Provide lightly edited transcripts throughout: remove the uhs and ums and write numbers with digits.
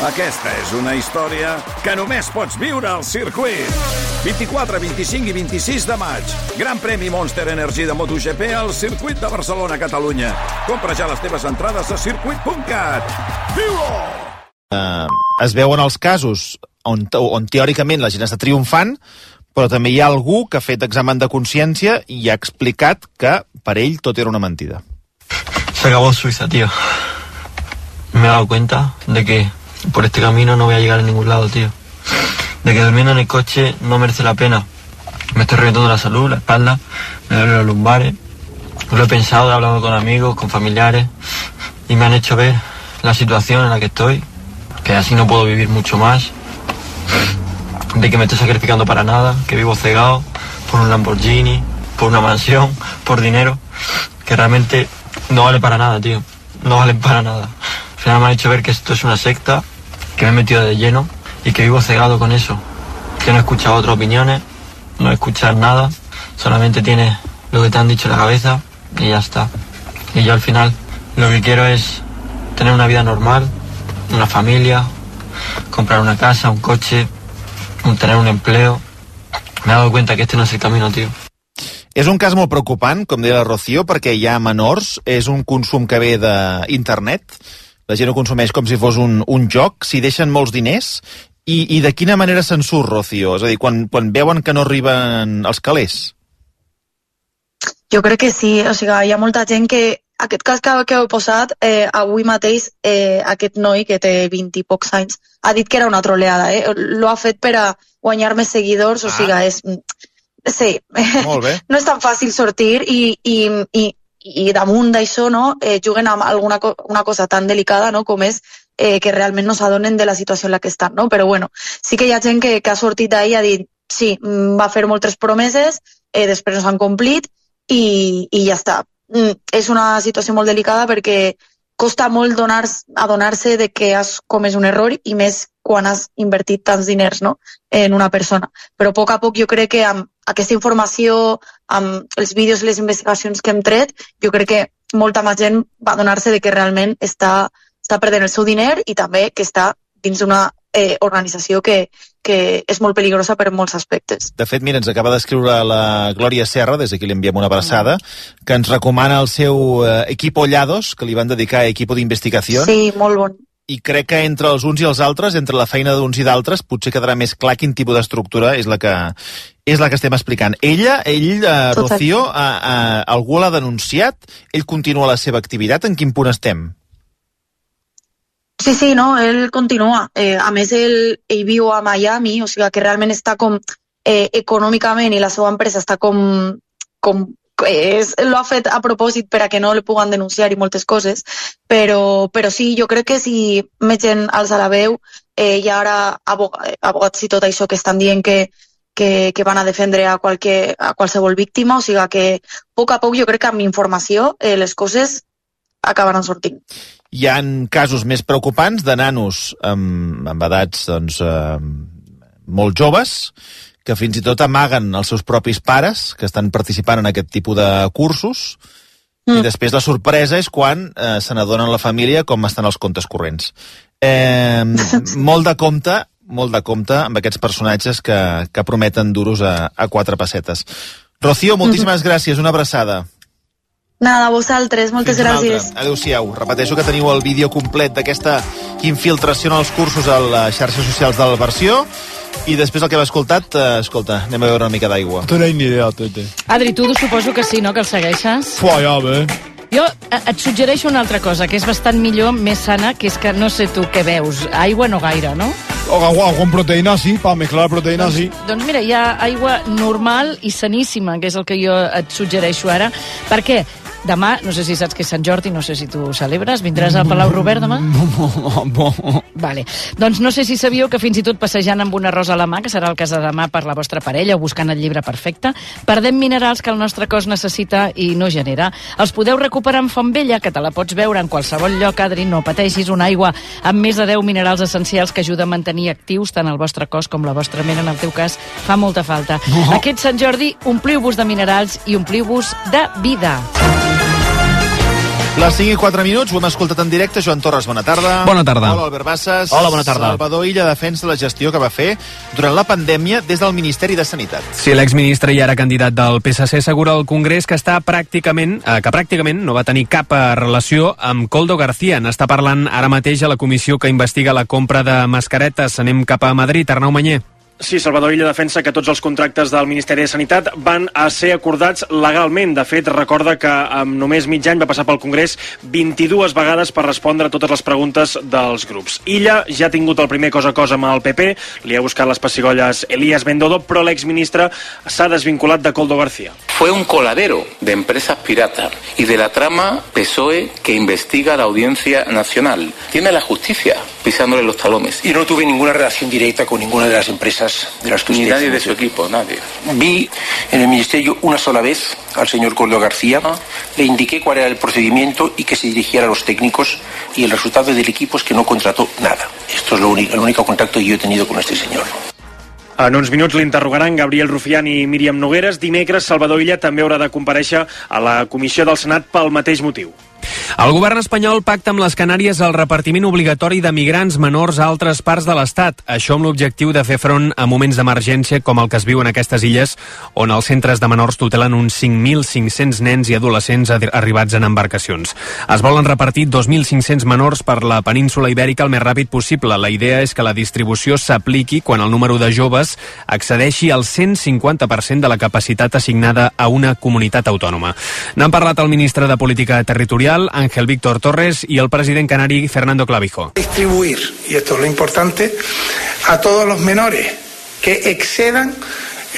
Aquesta és una història que només pots viure al circuit. 24, 25 i 26 de maig. Gran premi Monster Energy de MotoGP al circuit de Barcelona, Catalunya. Compra ja les teves entrades a circuit.cat. Viu-ho! Es veuen els casos on teòricament la gent està triomfant, però també hi ha algú que ha fet examen de consciència i ha explicat que per ell tot era una mentida. Se acabó Suiza, tío. Me he dado cuenta de que por este camino no voy a llegar a ningún lado, tío. De que durmiendo en el coche no merece la pena. Me estoy reventando la salud, la espalda, me duelen los lumbares. Lo he pensado, he hablado con amigos, con familiares, y me han hecho ver la situación en la que estoy, que así no puedo vivir mucho más, de que me estoy sacrificando para nada, que vivo cegado por un Lamborghini, por una mansión, por dinero, que realmente no vale para nada, tío. No valen para nada. Al final me han hecho ver que esto es una secta, que me he metido de lleno y que vivo cegado con eso. Que no he escuchado otras opiniones, no he escuchado nada, solamente tienes lo que te han dicho en la cabeza y ya está. Y yo al final lo que quiero es tener una vida normal, una familia, comprar una casa, un coche, tener un empleo. Me he dado cuenta que este no es el camino, tío. És un cas molt preocupant, com deia la Rocío, perquè hi ha menors, és un consum que ve d'internet, la gent ho consumeix com si fos un joc, s'hi deixen molts diners, i de quina manera se'n surt, Rocío? És a dir, quan veuen que no arriben els calés? Jo crec que sí, o sigui, hi ha molta gent que aquest cas que heu posat, avui mateix aquest noi que té 20 i pocs anys ha dit que era una troleada, lo ha fet per a guanyar més seguidors, o sigui, és... Sí, no és tan fàcil sortir i damunt d'això juguen amb una cosa tan delicada com és que realment no s'adonen de la situació en la que estan, no? Però bueno, sí que hi ha gent que ha sortit d'ahir i ha dit sí, va fer moltes promeses, després no s'han complit i ja està. És una situació molt delicada perquè costa molt adonar-se de que has comès un error i més quan has invertit tants diners en una persona. Però a poc jo crec que amb aquesta informació, amb els vídeos i les investigacions que hem tret, jo crec que molta més gent va adonar-se de que realment està perdent el seu diner i també que està dins d'una organització que és molt peligrosa per molts aspectes. De fet, mira, ens acaba d'escriure la Glòria Serra, des d'aquí li enviem una abraçada, que ens recomana el seu Equipo Llados, que li van dedicar a Equipo d'Investigació. Sí, molt bon. I crec que entre els uns i els altres, entre la feina d'uns i d'altres, potser quedarà més clar quin tipus d'estructura és la que estem explicant. Ell, Rocío, algú l'ha denunciat? Ell continua la seva activitat? En quin punt estem? Sí, no, ell continua. A més, ell viu a Miami, o sigui que realment està com econòmicament i la seva empresa està com lo ha fet a propòsit per a que no li puguen denunciar i moltes coses, però sí, jo crec que si més gent alça la veu, hi ha ara abogats i tot això que estan dient que van a defendre a qualsevol víctima, o sigui que a poc jo crec que amb informació les coses acabaran sortint. Hi ha casos més preocupants de nanos amb edats molt joves que fins i tot amaguen els seus propis pares que estan participant en aquest tipus de cursos i després la sorpresa és quan se n'adonen la família com estan els comptes corrents. Molt de compte amb aquests personatges que prometen duros a 4 pessetes. Rocío, moltíssimes gràcies, una abraçada. Nada, a vosaltres, moltes gràcies. Adéu-siau. Repeteixo que teniu el vídeo complet d'aquesta infiltració en els cursos a les xarxes socials del Versió i després el que hem escoltat, escolta, anem a veure una mica d'aigua. No tenéis ni idea, Tete. Adri, tu suposo que sí, no?, que el segueixes. Ja, bé. Jo et suggereixo una altra cosa, que és bastant millor, més sana, que és que no sé tu què veus. Aigua no gaire, no? Agua con proteína, sí, para mezclar proteína, sí. Doncs mira, hi ha aigua normal i saníssima, que és el que jo et suggereixo ara. Per què? Demà, no sé si saps que és Sant Jordi, no sé si tu celebres, vindràs al Palau Robert demà? Vale. Doncs no sé si sabíeu que fins i tot passejant amb una rosa a la mà, que serà el cas de demà per la vostra parella, o buscant el llibre perfecte, perdem minerals que el nostre cos necessita i no genera. Els podeu recuperar en Font Vella, que te la pots veure en qualsevol lloc, Adri, no pateixis, una aigua amb més de 10 minerals essencials que ajuda a mantenir actius tant el vostre cos com la vostra ment, en el teu cas, fa molta falta. Aquest Sant Jordi, ompliu-vos de minerals i ompliu-vos de vida. Les 5 i 4 minuts, ho hem escoltat en directe. Joan Torres, bona tarda. Bona tarda. Hola, Albert Bassas. Hola, bona tarda. Salvador Illa defensa la gestió que va fer durant la pandèmia des del Ministeri de Sanitat. Sí, l'exministre i ara candidat del PSC assegura al Congrés que pràcticament no va tenir cap relació amb Koldo García. N'està parlant ara mateix a la comissió que investiga la compra de mascaretes. Anem cap a Madrid. Arnau Manyer. Sí, Salvador Illa defensa que tots els contractes del Ministeri de Sanitat van a ser acordats legalment. De fet, recorda que amb només mig any va passar pel Congrés 22 vegades per respondre a totes les preguntes dels grups. Illa ja ha tingut el primer cosa a cosa amb el PP, li ha buscat les pessigolles Elías Bendodo, però l'exministre s'ha desvinculat de Koldo García. Fue un coladero de empresas piratas y de la trama PSOE que investiga la Audiencia Nacional. Tiene la justicia pisándole los talones. Y no tuve ninguna relación directa con ninguna de las empresas de las que usted... Ni nadie de su equipo, nadie. Vi en el ministerio una sola vez al señor Koldo García, le indiqué cuál era el procedimiento y que se dirigiera a los técnicos, y el resultado del equipo es que no contrató nada. Esto es el único contacto que yo he tenido con este señor. En uns minuts l'interrogaran Gabriel Rufián i Míriam Nogueres. Dimecres, Salvador Illa també haurà de comparèixer a la comissió del Senat pel mateix motiu. El govern espanyol pacta amb les Canàries el repartiment obligatori de migrants menors a altres parts de l'Estat. Això amb l'objectiu de fer front a moments d'emergència com el que es viu en aquestes illes, on els centres de menors tutelen uns 5.500 nens i adolescents arribats en embarcacions. Es volen repartir 2.500 menors per la península Ibèrica el més ràpid possible. La idea és que la distribució s'apliqui quan el número de joves excedeixi el 150% de la capacitat assignada a una comunitat autònoma. N'han parlat el ministre de Política Territorial, Ángel Víctor Torres, y el presidente canarí, Fernando Clavijo. Distribuir, y esto es lo importante, a todos los menores que excedan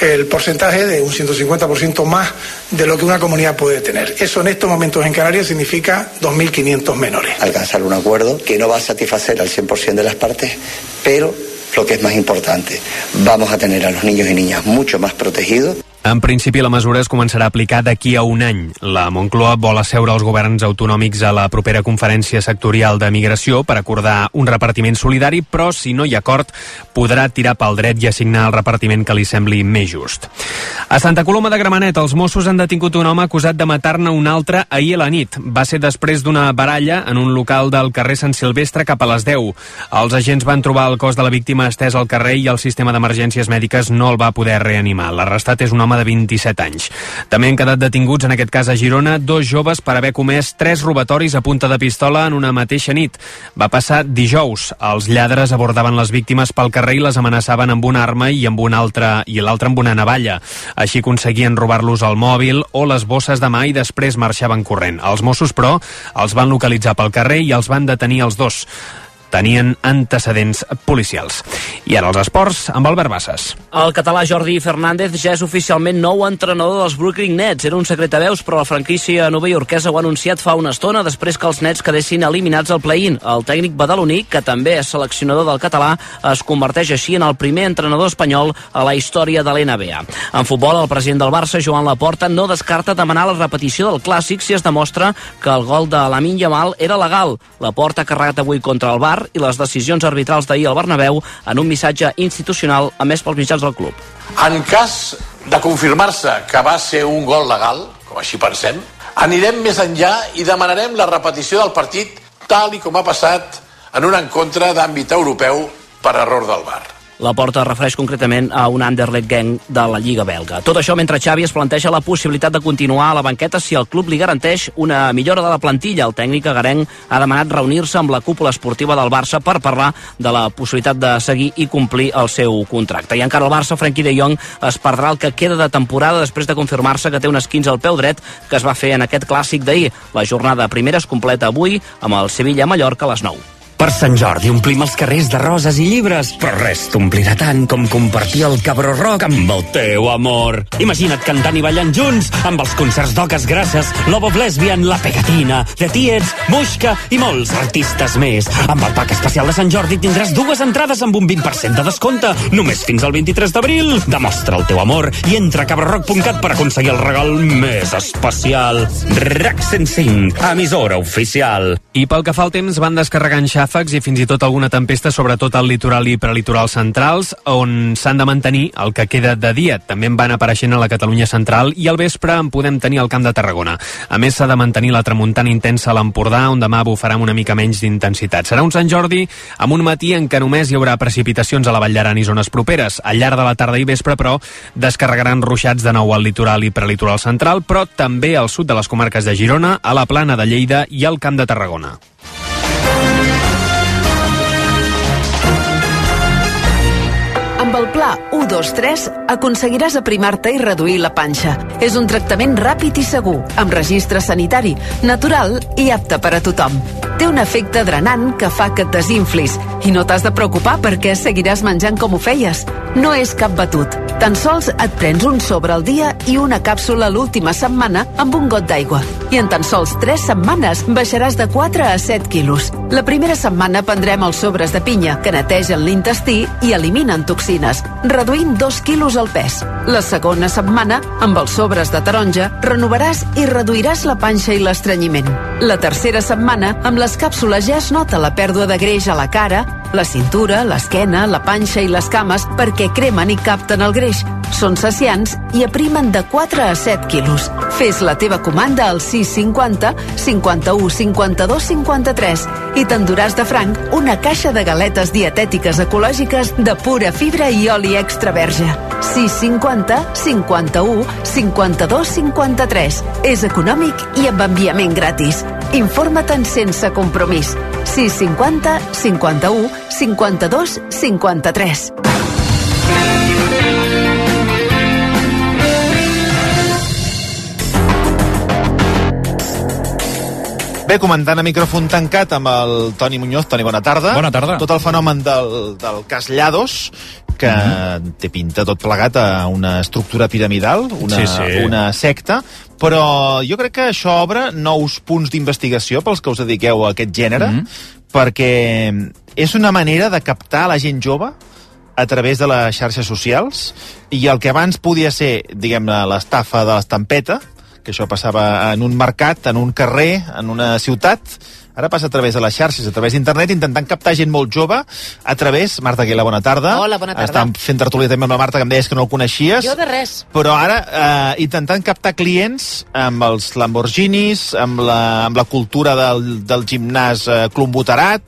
el porcentaje de un 150% más de lo que una comunidad puede tener. Eso en estos momentos en Canarias significa 2.500 menores. Alcanzar un acuerdo que no va a satisfacer al 100% de las partes, pero lo que es más importante, vamos a tener a los niños y niñas mucho más protegidos. En principi, la mesura es començarà a aplicar d'aquí a un any. La Moncloa vol asseure els governs autonòmics a la propera conferència sectorial de migració per acordar un repartiment solidari, però si no hi ha acord, podrà tirar pel dret i assignar el repartiment que li sembli més just. A Santa Coloma de Gramenet, els Mossos han detingut un home acusat de matar-ne un altre ahir a la nit. Va ser després d'una baralla en un local del carrer Sant Silvestre cap a les 10. Els agents van trobar el cos de la víctima estès al carrer i el sistema d'emergències mèdiques no el va poder reanimar. L'arrestat és un home de 27 anys. També han quedat detinguts, en aquest cas a Girona, 2 joves per haver comès 3 robatoris a punta de pistola en una mateixa nit. Va passar dijous. Els lladres abordaven les víctimes pel carrer i les amenaçaven amb una arma i l'altra amb una navalla. Així aconseguien robar-los el mòbil o les bosses de mà i després marxaven corrent. Els Mossos, però, els van localitzar pel carrer i els van detenir els dos. Tenien antecedents policials. I ara els esports, amb Albert Bassas. El català Jordi Fernández ja és oficialment nou entrenador dels Brooklyn Nets. Era un secret a veus, però la franquícia novaiorquesa ho ha anunciat fa una estona després que els Nets quedessin eliminats al play-in. El tècnic badaloní, que també és seleccionador del català, es converteix així en el primer entrenador espanyol a la història de l'NBA. En futbol, el president del Barça, Joan Laporta, no descarta demanar la repetició del clàssic si es demostra que el gol de Lamine Yamal era legal. Laporta ha carregat avui contra el VAR i les decisions arbitrals d'ahir al Bernabéu en un missatge institucional emès pels mitjans del club. En cas de confirmar-se que va ser un gol legal, com així pensem, anirem més enllà i demanarem la repetició del partit tal i com ha passat en un encontre d'àmbit europeu per error del VAR. Laporta es refereix concretament a un Anderlecht gang de la Lliga belga. Tot això mentre Xavi es planteja la possibilitat de continuar a la banqueta si el club li garanteix una millora de la plantilla. El tècnic agarenc ha demanat reunir-se amb la cúpula esportiva del Barça per parlar de la possibilitat de seguir i complir el seu contracte. I encara el Barça, Frenkie de Jong es perdrà el que queda de temporada després de confirmar-se que té un esquinç al peu dret que es va fer en aquest clàssic d'ahir. La jornada primera es completa avui amb el Sevilla-Mallorca a les 9. Per Sant Jordi omplim els carrers de roses i llibres, però res t'omplirà tant com compartir el Cabró Rock amb el teu amor. Imagina't cantant i ballant junts amb els concerts d'Oques Grasses, Love of Lesbian, La Pegatina, The Tiets, Muixca i molts artistes més. Amb el pack especial de Sant Jordi tindràs 2 entrades amb un 20% de descompte, només fins al 23 d'abril. Demostra el teu amor i entra a cabrorock.cat per aconseguir el regal més especial. RAC 105, emissora oficial. I pel que fa al temps, van descarregant xàfecs i fins i tot alguna tempesta, sobretot al litoral i prelitoral centrals, on s'han de mantenir el que queda de dia. També en van apareixent a la Catalunya central i al vespre en podem tenir al Camp de Tarragona. A més, s'ha de mantenir la tramuntana intensa a l'Empordà, on demà bufarà amb una mica menys d'intensitat. Serà un Sant Jordi amb un matí en què només hi haurà precipitacions a la Vall d'Aran i zones properes. Al llarg de la tarda i vespre, però, descarregaran ruixats de nou al litoral i prelitoral central, però també al sud de les comarques de Girona, a la Plana de Lleida i al Camp de Tarragona. Amb el pla 1-2-3 aconseguiràs aprimar-te i reduir la panxa. És un tractament ràpid i segur, amb registre sanitari, natural i apte per a tothom. Té un efecte drenant que fa que et desinflis i no t'has de preocupar perquè seguiràs menjant com ho feies. No és cap batut. Tan sols et prens un sobre al dia i una càpsula l'última setmana amb un got d'aigua. I en tan sols 3 setmanes baixaràs de 4 a 7 quilos. La primera setmana prendrem els sobres de pinya, que netegen l'intestí i eliminen toxines, reduint 2 quilos al pes. La segona setmana, amb els sobres de taronja, renovaràs i reduiràs la panxa i l'estrenyiment. La tercera setmana, amb les càpsules ja es nota la pèrdua de greix a la cara, la cintura, l'esquena, la panxa i les cames perquè cremen i capten el greix. Són saciants i aprimen de 4 a 7 quilos. Fes la teva comanda al 650 51 52 53 i t'enduràs de franc una caixa de galetes dietètiques ecològiques de pura fibra i oli extra verge. 650 51 52 53. És econòmic i amb enviament gratis. Informa-te'n sense compromís. 650 51 52 53. Bé, comentant a micròfon tancat amb el Toni Muñoz. Toni, bona tarda. Bona tarda. Tot el fenomen del cas Llados, que té pinta tot plegat a una estructura piramidal, una secta, però jo crec que això obre nous punts d'investigació pels que us dediqueu a aquest gènere, perquè és una manera de captar la gent jove a través de les xarxes socials, i el que abans podia ser, diguem-ne, l'estafa de l'estampeta, que això passava en un mercat, en un carrer, en una ciutat, ara passa a través de les xarxes, a través d'internet, intentant captar gent molt jove a través... Marta Aguilar, bona tarda. Hola, bona tarda. Estàvem fent tertúlia també amb la Marta, que em deies que no el coneixies. Jo de res. Però ara intentant captar clients amb els Lamborghinis, amb la cultura del gimnàs Club Boterat,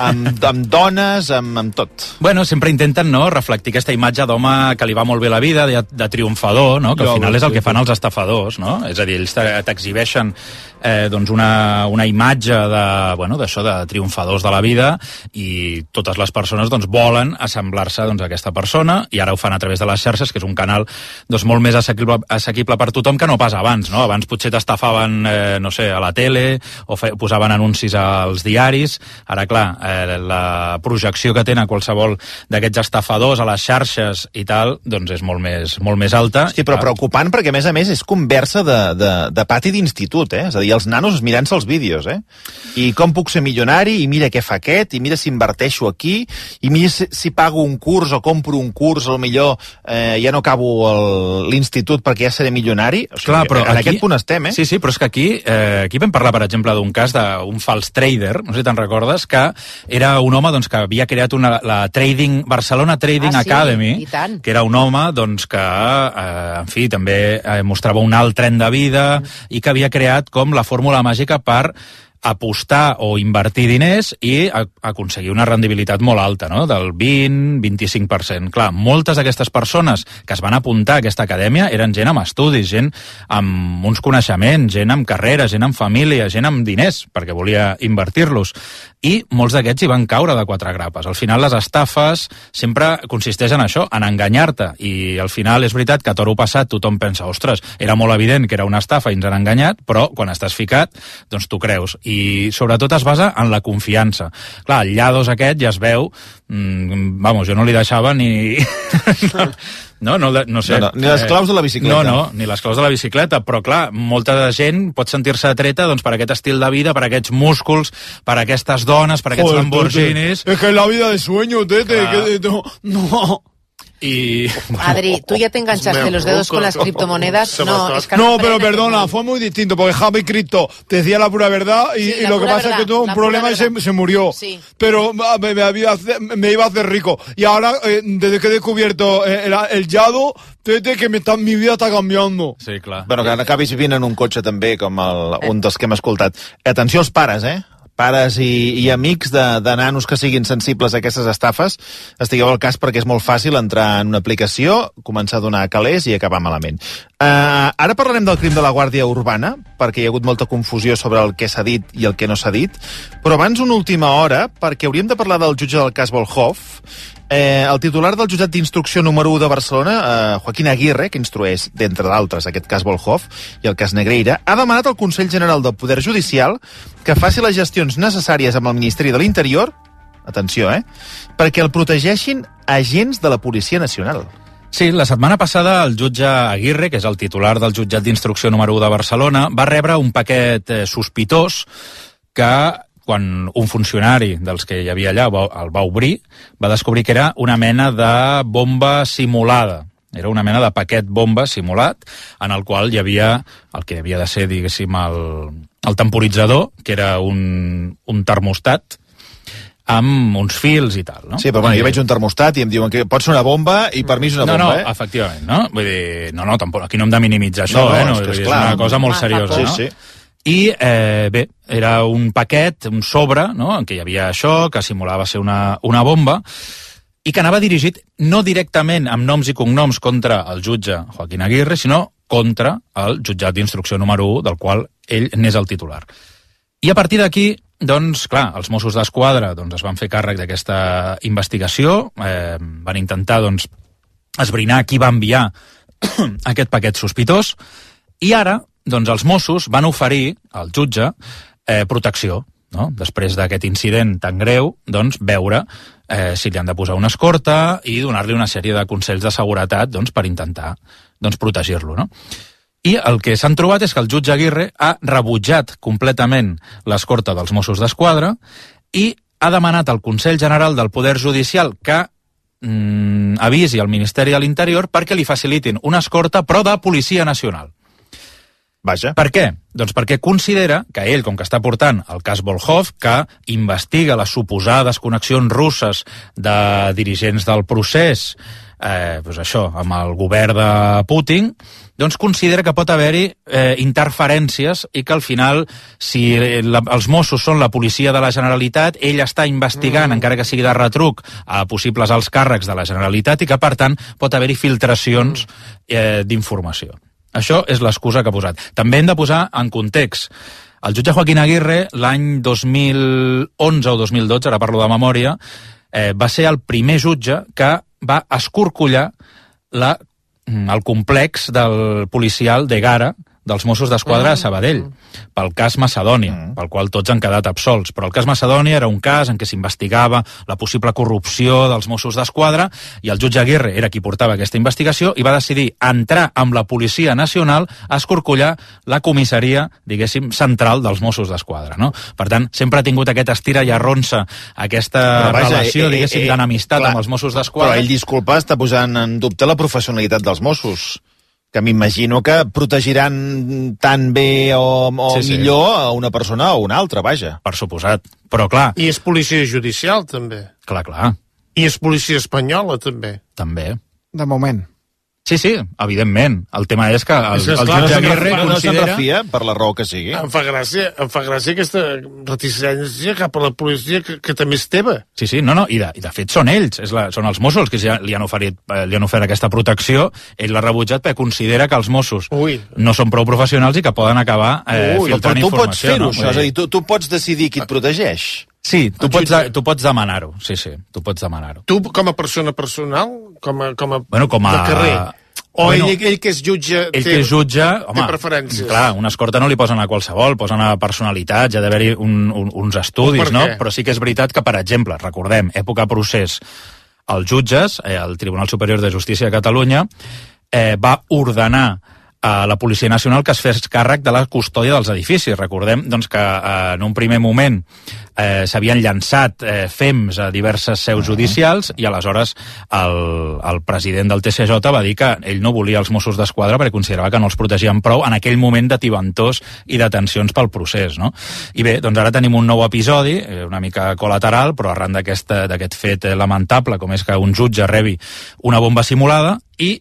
amb dones, amb tot. Bueno, sempre intenten, no?, reflectir aquesta imatge d'home que li va molt bé la vida, de triomfador, no?, que al final és el que fan els estafadors, no? És a dir, ells t'exhibeixen doncs una imatge d'això, de triomfadors de la vida, i totes les persones doncs volen assemblar-se doncs a aquesta persona, i ara ho fan a través de les xarxes, que és un canal doncs molt més assequible per tothom que no pas abans, no? Abans potser t'estafaven, no sé, a la tele, o posaven anuncis als diaris. Ara, clar, la projecció que tenen qualsevol d'aquests estafadors a les xarxes i tal, doncs és molt més alta. Hosti, però preocupant, perquè a més és conversa de pati d'institut, És a dir, els nanos mirant-se els vídeos, I com puc ser milionari, i mira què fa aquest, i mira si inverteixo aquí, i mira si pago un curs o compro un curs, potser ja no acabo l'institut perquè ja seré milionari. O sigui, clar, però en aquest punt estem, Sí, però és que aquí vam parlar, per exemple, d'un cas d'un fals trader, no sé si te'n recordes, que era un home doncs, que havia creat la Barcelona Trading Academy, que era un home doncs, que, en fi, també mostrava un alt tren de vida i que havia creat com la fórmula màgica per apostar o invertir diners i aconseguir una rendibilitat molt alta, no?, del 20-25%. Clar, moltes d'aquestes persones que es van apuntar a aquesta acadèmia eren gent amb estudis, gent amb uns coneixements, gent amb carrera, gent amb família, gent amb diners, perquè volia invertir-los. I molts d'aquests hi van caure de 4 grapes. Al final les estafes sempre consisteixen en això, en enganyar-te, i al final és veritat que a toro passat tothom pensa, ostres, era molt evident que era una estafa i ens han enganyat, però quan estàs ficat, doncs t'ho creus. I sobretot es basa en la confiança. Clar, el Llados aquest ja es veu, jo no li deixava ni... No sé. No, ni les claus de la bicicleta. No, ni les claus de la bicicleta, però clar, molta gent pot sentir-se atreta doncs, per aquest estil de vida, per aquests músculs, per aquestes dones, per aquests Lamborghinis... Es que es la vida de sueño, tete. No. Adri, tú ya te enganchaste los dedos con las criptomonedas. No, pero perdona, fue muy distinto, porque Javi Cripto te decía la pura verdad y lo que pasa es que tuvo un problema y se murió. Sí. Pero me iba a hacer rico. Y ahora, desde que he descubierto el Yado, mi vida està canviant. Sí, clar. Bueno, que acabis vivint en un cotxe també, com un dels que hem escoltat. Atenció als pares, pares i amics de nanos que siguin sensibles a aquestes estafes, estigueu al cas perquè és molt fàcil entrar en una aplicació, començar a donar calés i acabar malament. Ara parlarem del crim de la Guàrdia Urbana, perquè hi ha hagut molta confusió sobre el que s'ha dit i el que no s'ha dit, però abans una última hora, perquè hauríem de parlar del jutge del cas Volhov. El titular del jutjat d'instrucció número 1 de Barcelona, Joaquín Aguirre, que instrueix, d'entre d'altres, aquest cas Volhov i el cas Negreira, ha demanat al Consell General del Poder Judicial que faci les gestions necessàries amb el Ministeri de l'Interior, atenció, perquè el protegeixin agents de la Policia Nacional. Sí, la setmana passada el jutge Aguirre, que és el titular del jutjat d'instrucció número 1 de Barcelona, va rebre un paquet sospitós que, quan un funcionari dels que hi havia allà el va obrir, va descobrir que era una mena de bomba simulada. Era una mena de paquet bomba simulat, en el qual hi havia el que havia de ser, diguéssim, el temporitzador, que era un termostat, amb uns fils i tal, no? Sí, però bueno, jo veig un termostat i em diuen que pot ser una bomba i per mi és una bomba, efectivament, no? Vull dir, tampoc, aquí no hem de minimitzar això, és una cosa molt seriosa, no? Sí. I, bé, era un paquet, un sobre, no?, en què hi havia això, que simulava ser una bomba, i que anava dirigit no directament amb noms i cognoms contra el jutge Joaquín Aguirre, sinó contra el jutjat d'instrucció número 1, del qual ell n'és el titular. I a partir d'aquí, doncs, clar, els Mossos d'Esquadra es van fer càrrec d'aquesta investigació, van intentar, doncs, esbrinar qui va enviar aquest paquet sospitós, i ara, doncs els Mossos van oferir al jutge protecció, no? Després d'aquest incident tan greu, doncs veure si li han de posar una escorta i donar-li una sèrie de consells de seguretat, doncs, per intentar, doncs, protegir-lo, no? I el que s'han trobat és que el jutge Aguirre ha rebutjat completament l'escorta dels Mossos d'Esquadra i ha demanat al Consell General del Poder Judicial que avisi al Ministeri de l'Interior perquè li facilitin una escorta, però de Policia Nacional. Vaja. Per què? Doncs perquè considera que ell, com que està portant el cas Volhov, que investiga les suposades connexions russes de dirigents del procés, doncs això, amb el govern de Putin, doncs considera que pot haver-hi interferències i que al final, si els Mossos són la policia de la Generalitat, ell està investigant, encara que sigui de retruc, a possibles alts càrrecs de la Generalitat i que, per tant, pot haver-hi filtracions d'informació. Això és l'excusa que ha posat. També hem de posar en context. El jutge Joaquín Aguirre, l'any 2011 o 2012, ara parlo de memòria, va ser el primer jutge que va escorcollar el complex del policial d'Egara dels Mossos d'Esquadra a Sabadell, pel cas Macedònia, pel qual tots han quedat absolts. Però el cas Macedònia era un cas en què s'investigava la possible corrupció dels Mossos d'Esquadra i el jutge Aguirre era qui portava aquesta investigació i va decidir entrar amb la Policia Nacional a escorcollar la comissaria, diguéssim, central dels Mossos d'Esquadra, no? Per tant, sempre ha tingut aquest estira i arronsa, aquesta relació, diguéssim, d'enemistat amb els Mossos d'Esquadra. Però ell, disculpa, està posant en dubte la professionalitat dels Mossos, que m'imagino que protegiran tan bé o millor a una persona o una altra, vaja. Per suposat, però clar... I és policia judicial, també. Clar. I és policia espanyola, també. També. De moment. Sí, evidentment. El tema és que el jutge Aguirre no se'n refia per la raó que sigui. Em fa gràcia aquesta reticència cap a la policia que també és teva. Sí, no, i de fet són ells, són els Mossos que li han ofert aquesta protecció, ell l'ha rebutjat perquè considera que els Mossos no són prou professionals i que poden acabar filtrant informació. Però tu pots fer-ho, això, és a dir, tu pots decidir qui et protegeix. Sí, tu pots demanar-ho, tu pots demanar-ho. Tu, com a persona personal, com a de carrer, o ell que és jutge té preferències? Clar, una escorta no li posen a qualsevol, posen a personalitats, ha d'haver-hi uns estudis, no? Però sí que és veritat que, per exemple, recordem, època procés, els jutges, el Tribunal Superior de Justícia de Catalunya, va ordenar a la Policia Nacional que es fes càrrec de la custòdia dels edificis. Recordem doncs, que en un primer moment s'havien llançat fems a diverses seus judicials i aleshores el president del TCJ va dir que ell no volia els Mossos d'Esquadra perquè considerava que no els protegien prou en aquell moment de tibantors i de tensions pel procés, no? I bé, doncs ara tenim un nou episodi, una mica col·lateral, però arran d'aquest fet lamentable, com és que un jutge rebi una bomba simulada i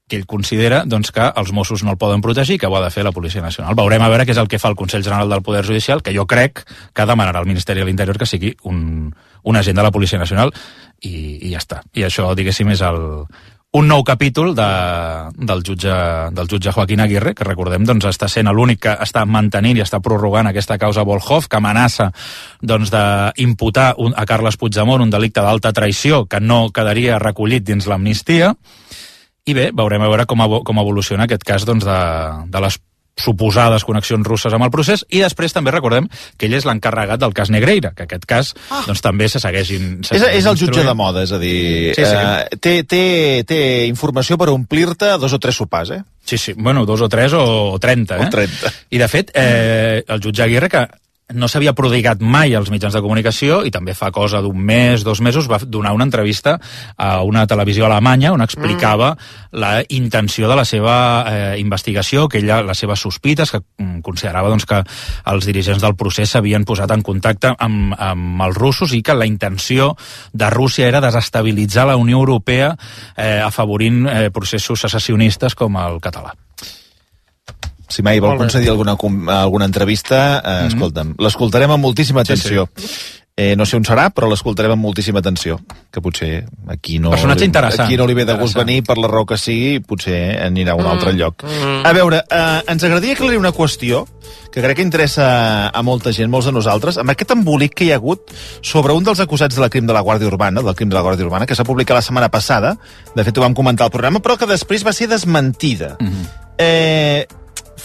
que ell considera doncs, que els Mossos no el poden protegir, que ho ha de fer la Policia Nacional. Veurem a veure què és el que fa el Consell General del Poder Judicial, que jo crec que demanarà al Ministeri de l'Interior que sigui un agent de la Policia Nacional i ja està. I això, diguéssim, és un nou capítol del jutge Joaquín Aguirre, que recordem doncs, està sent l'únic que està mantenint i està prorrogant aquesta causa Volhov, que amenaça doncs, d'imputar a Carles Puigdemont un delicte d'alta traïció que no quedaria recollit dins l'amnistia. I bé, veurem a veure com evoluciona aquest cas doncs, de les suposades connexions russes amb el procés, i després també recordem que ell és l'encarregat del cas Negreira, que aquest cas doncs, també se segueixin... És el jutge de moda, és a dir, té informació per omplir-te 2 o 3 sopars, eh? Sí, bueno, 2 o 3 o 30, eh? O 30. I de fet, el jutge Aguirre, que no s'havia prodigat mai als mitjans de comunicació i també fa cosa d'un mes, 2 mesos, va donar una entrevista a una televisió alemanya on explicava la intenció de la seva investigació, que ella, les seves sospites, que considerava doncs, que els dirigents del procés s'havien posat en contacte amb els russos i que la intenció de Rússia era desestabilitzar la Unió Europea afavorint processos secessionistes com el català. Si mai vol concedir alguna entrevista, escolta'm, l'escoltarem amb moltíssima atenció. No sé on serà, però l'escoltarem amb moltíssima atenció, que potser aquí no li ve de gust venir per la raó que sigui, potser anirà a un altre lloc. A veure, ens agradaria aclarir una qüestió que crec que interessa a molta gent, molts de nosaltres, amb aquest embolic que hi ha hagut sobre un dels acusats del crim de la Guàrdia Urbana, que s'ha publicat la setmana passada, de fet ho vam comentar al programa, però que després va ser desmentida.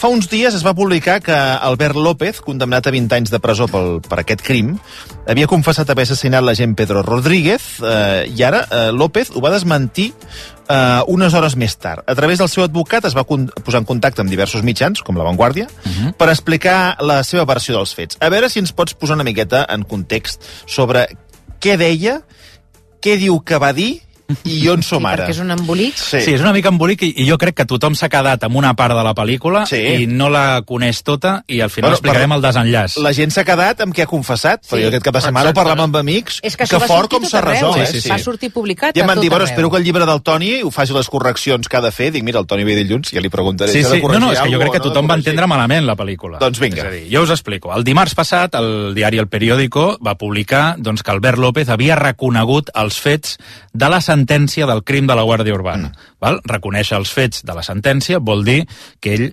Fa uns dies es va publicar que Albert López, condemnat a 20 anys de presó per aquest crim, havia confessat haver assassinat l'agent Pedro Rodríguez i ara López ho va desmentir unes hores més tard. A través del seu advocat es va posar en contacte amb diversos mitjans, com La Vanguardia, per explicar la seva versió dels fets. A veure si ens pots posar una miqueta en context sobre què deia, què diu que va dir i on som ara. Perquè és un embolic. Sí, és una mica embolic i jo crec que tothom s'ha quedat amb una part de la pel·lícula i no la coneix tota i al final explicarem el desenllaç. La gent s'ha quedat amb què ha confessat, però jo aquest cap de setmana ho parlàvem amb amics, que fort com s'ha resolt. Va sortir publicat i em van dir, espero que el llibre del Toni ho faci les correccions que ha de fer. Dic, mira, el Toni ve dilluns, ja li preguntaré. No, és que jo crec que tothom va entendre malament la pel·lícula. Doncs vinga. És a dir, jo us explico. El dimarts passat, el diari El Periódico va publicar que Albert López havia reconegut els fets de la sentència del crim de la Guàrdia Urbana. Reconèixer els fets de la sentència vol dir que ell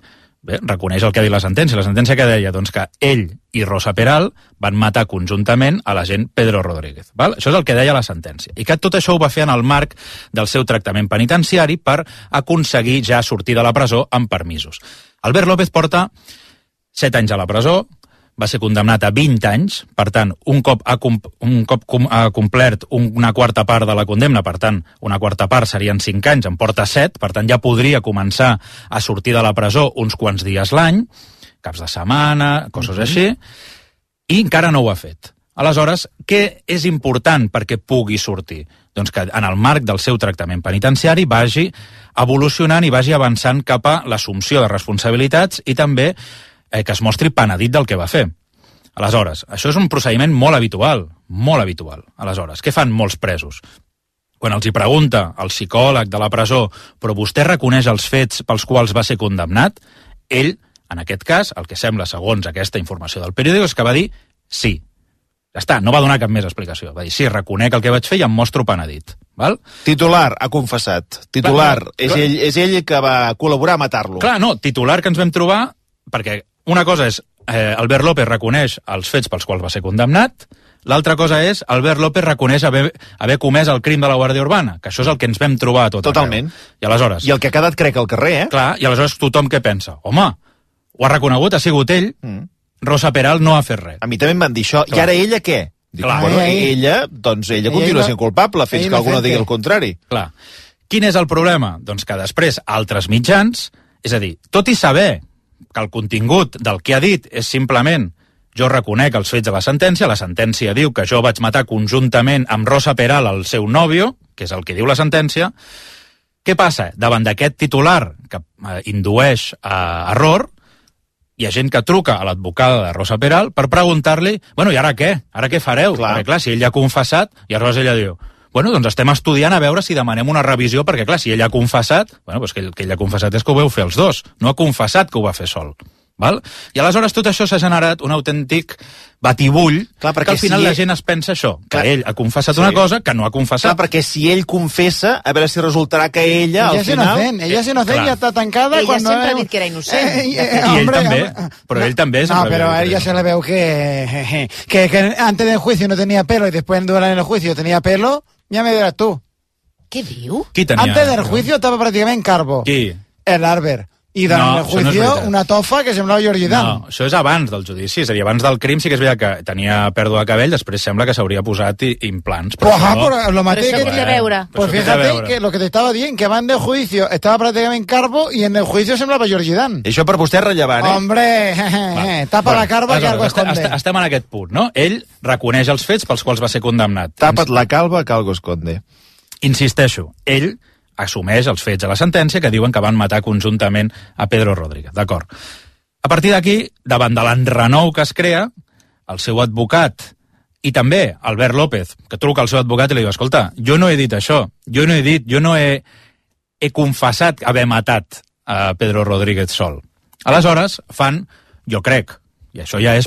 reconeix el que ha dit la sentència. La sentència que deia que ell i Rosa Peral van matar conjuntament a l'agent Pedro Rodríguez. Això és el que deia la sentència. I que tot això ho va fer en el marc del seu tractament penitenciari per aconseguir ja sortir de la presó amb permisos. Albert López porta 7 anys a la presó, va ser condemnat a 20 anys, per tant, un cop ha complert una quarta part de la condemna, per tant, una quarta part serien 5 anys, en porta 7, per tant, ja podria començar a sortir de la presó uns quants dies l'any, caps de setmana, coses així, i encara no ho ha fet. Aleshores, què és important perquè pugui sortir? Doncs que en el marc del seu tractament penitenciari vagi evolucionant i vagi avançant cap a l'assumpció de responsabilitats i també que es mostri penedit del que va fer. Aleshores, això és un procediment molt habitual, molt habitual. Aleshores, què fan molts presos? Quan els hi pregunta el psicòleg de la presó, però vostè reconeix els fets pels quals va ser condemnat, ell, en aquest cas, el que sembla segons aquesta informació del periòdic, és que va dir sí. Ja està, no va donar cap més explicació. Va dir, sí, reconec el que vaig fer i em mostro penedit. Val? Titular, ha confessat. Titular, és ell que va col·laborar a matar-lo. Clar, no, titular que ens vam trobar, perquè una cosa és Albert López reconeix els fets pels quals va ser condemnat, l'altra cosa és Albert López reconeix haver comès el crim de la Guàrdia Urbana, que això és el que ens vam trobar a tot Totalment. I aleshores... I el que ha quedat, crec, al carrer, Clar, i aleshores tothom què pensa? Home, ho ha reconegut, ha sigut ell, Rosa Peral no ha fet res. A mi també em van dir això. Clar. I ara ella què? Dic, bueno, ella continua sent culpable fins que algú no digui el contrari. Clar. Quin és el problema? Doncs que després altres mitjans És a dir, tot i saber que el contingut del que ha dit és simplement jo reconec els fets de la sentència diu que jo vaig matar conjuntament amb Rosa Peral, el seu nòvio, que és el que diu la sentència. Què passa? Davant d'aquest titular que indueix a error, hi ha gent que truca a l'advocada de Rosa Peral per preguntar-li, bueno, i ara què? Ara què fareu? Perquè, clar, si ell ja ha confessat, i aleshores ella diu, bueno, doncs estem estudiant a veure si demanem una revisió, perquè, clar, si ell ha confessat, bueno, doncs que ell ha confessat és que ho veu fer els dos, no ha confessat que ho va fer sol. Val? I aleshores tot això s'ha generat un autèntic batibull, clar, que al final la gent es pensa això, que ell ha confessat una cosa que no ha confessat. Clar, perquè si ell confessa, a veure si resultarà que ella, al final... Ella és inocent, ja està tancada... Ella sempre ha dit que era innocent. I ell també, però ell també... No, pero a ella se le veu que antes del juicio no tenía pelo y después durante el juicio tenía pelo, ya me dirás tú. Què diu? Qui tenia? Antes del juicio estava pràcticament calvo. Qui? El Albert. I durant el juicio una tofa que semblava Jordi Dan. No, això és abans del judici, és a dir, abans del crim sí que és veritat que tenia pèrdua de cabell, després sembla que s'hauria posat implants. Pues lo maté que tiene que veure. Pues fíjate que lo que te estaba diciendo, que abans del juicio estava pràcticament calvo i en el juicio semblava Jordi Dan. I això per vostè és rellevant, Hombre, tapa la calva que algo esconde. Estem en aquest punt, no? Ell reconeix els fets pels quals va ser condemnat. Tapa't la calva que algo esconde. Insisteixo, ell assumeix els fets de la sentència que diuen que van matar conjuntament a Pedro Rodríguez, d'acord. A partir d'aquí, davant de l'enrenou que es crea, el seu advocat i també Albert López, que truca al seu advocat i li diu, escolta, jo no he dit això, jo no he confessat haver matat a Pedro Rodríguez sol. Aleshores, fan, jo crec, i això ja és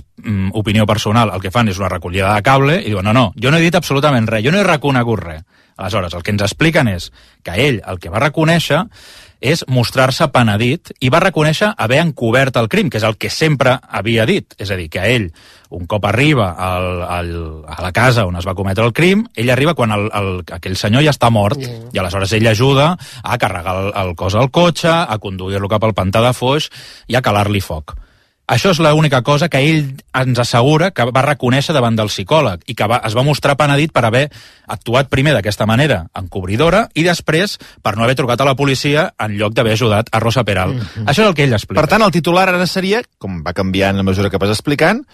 opinió personal, el que fan és una recollida de cable i diuen, no, jo no he dit absolutament res, jo no he reconegut res. Aleshores, el que ens expliquen és que ell el que va reconèixer és mostrar-se penedit i va reconèixer haver encobert el crim, que és el que sempre havia dit. És a dir, que ell, un cop arriba a la casa on es va cometre el crim, ell arriba quan aquell senyor ja està mort i aleshores ell ajuda a carregar el cos al cotxe, a conduir-lo cap al pantà de Foix i a calar-li foc. Això és l'única cosa que ell ens assegura que va reconèixer davant del psicòleg i que es va mostrar penedit per haver actuat primer d'aquesta manera, encobridora, i després per no haver trucat a la policia en lloc d'haver ajudat a Rosa Peral. Això és el que ell explica. Per tant, el titular ara seria, com va canviant a mesura que vas explicant,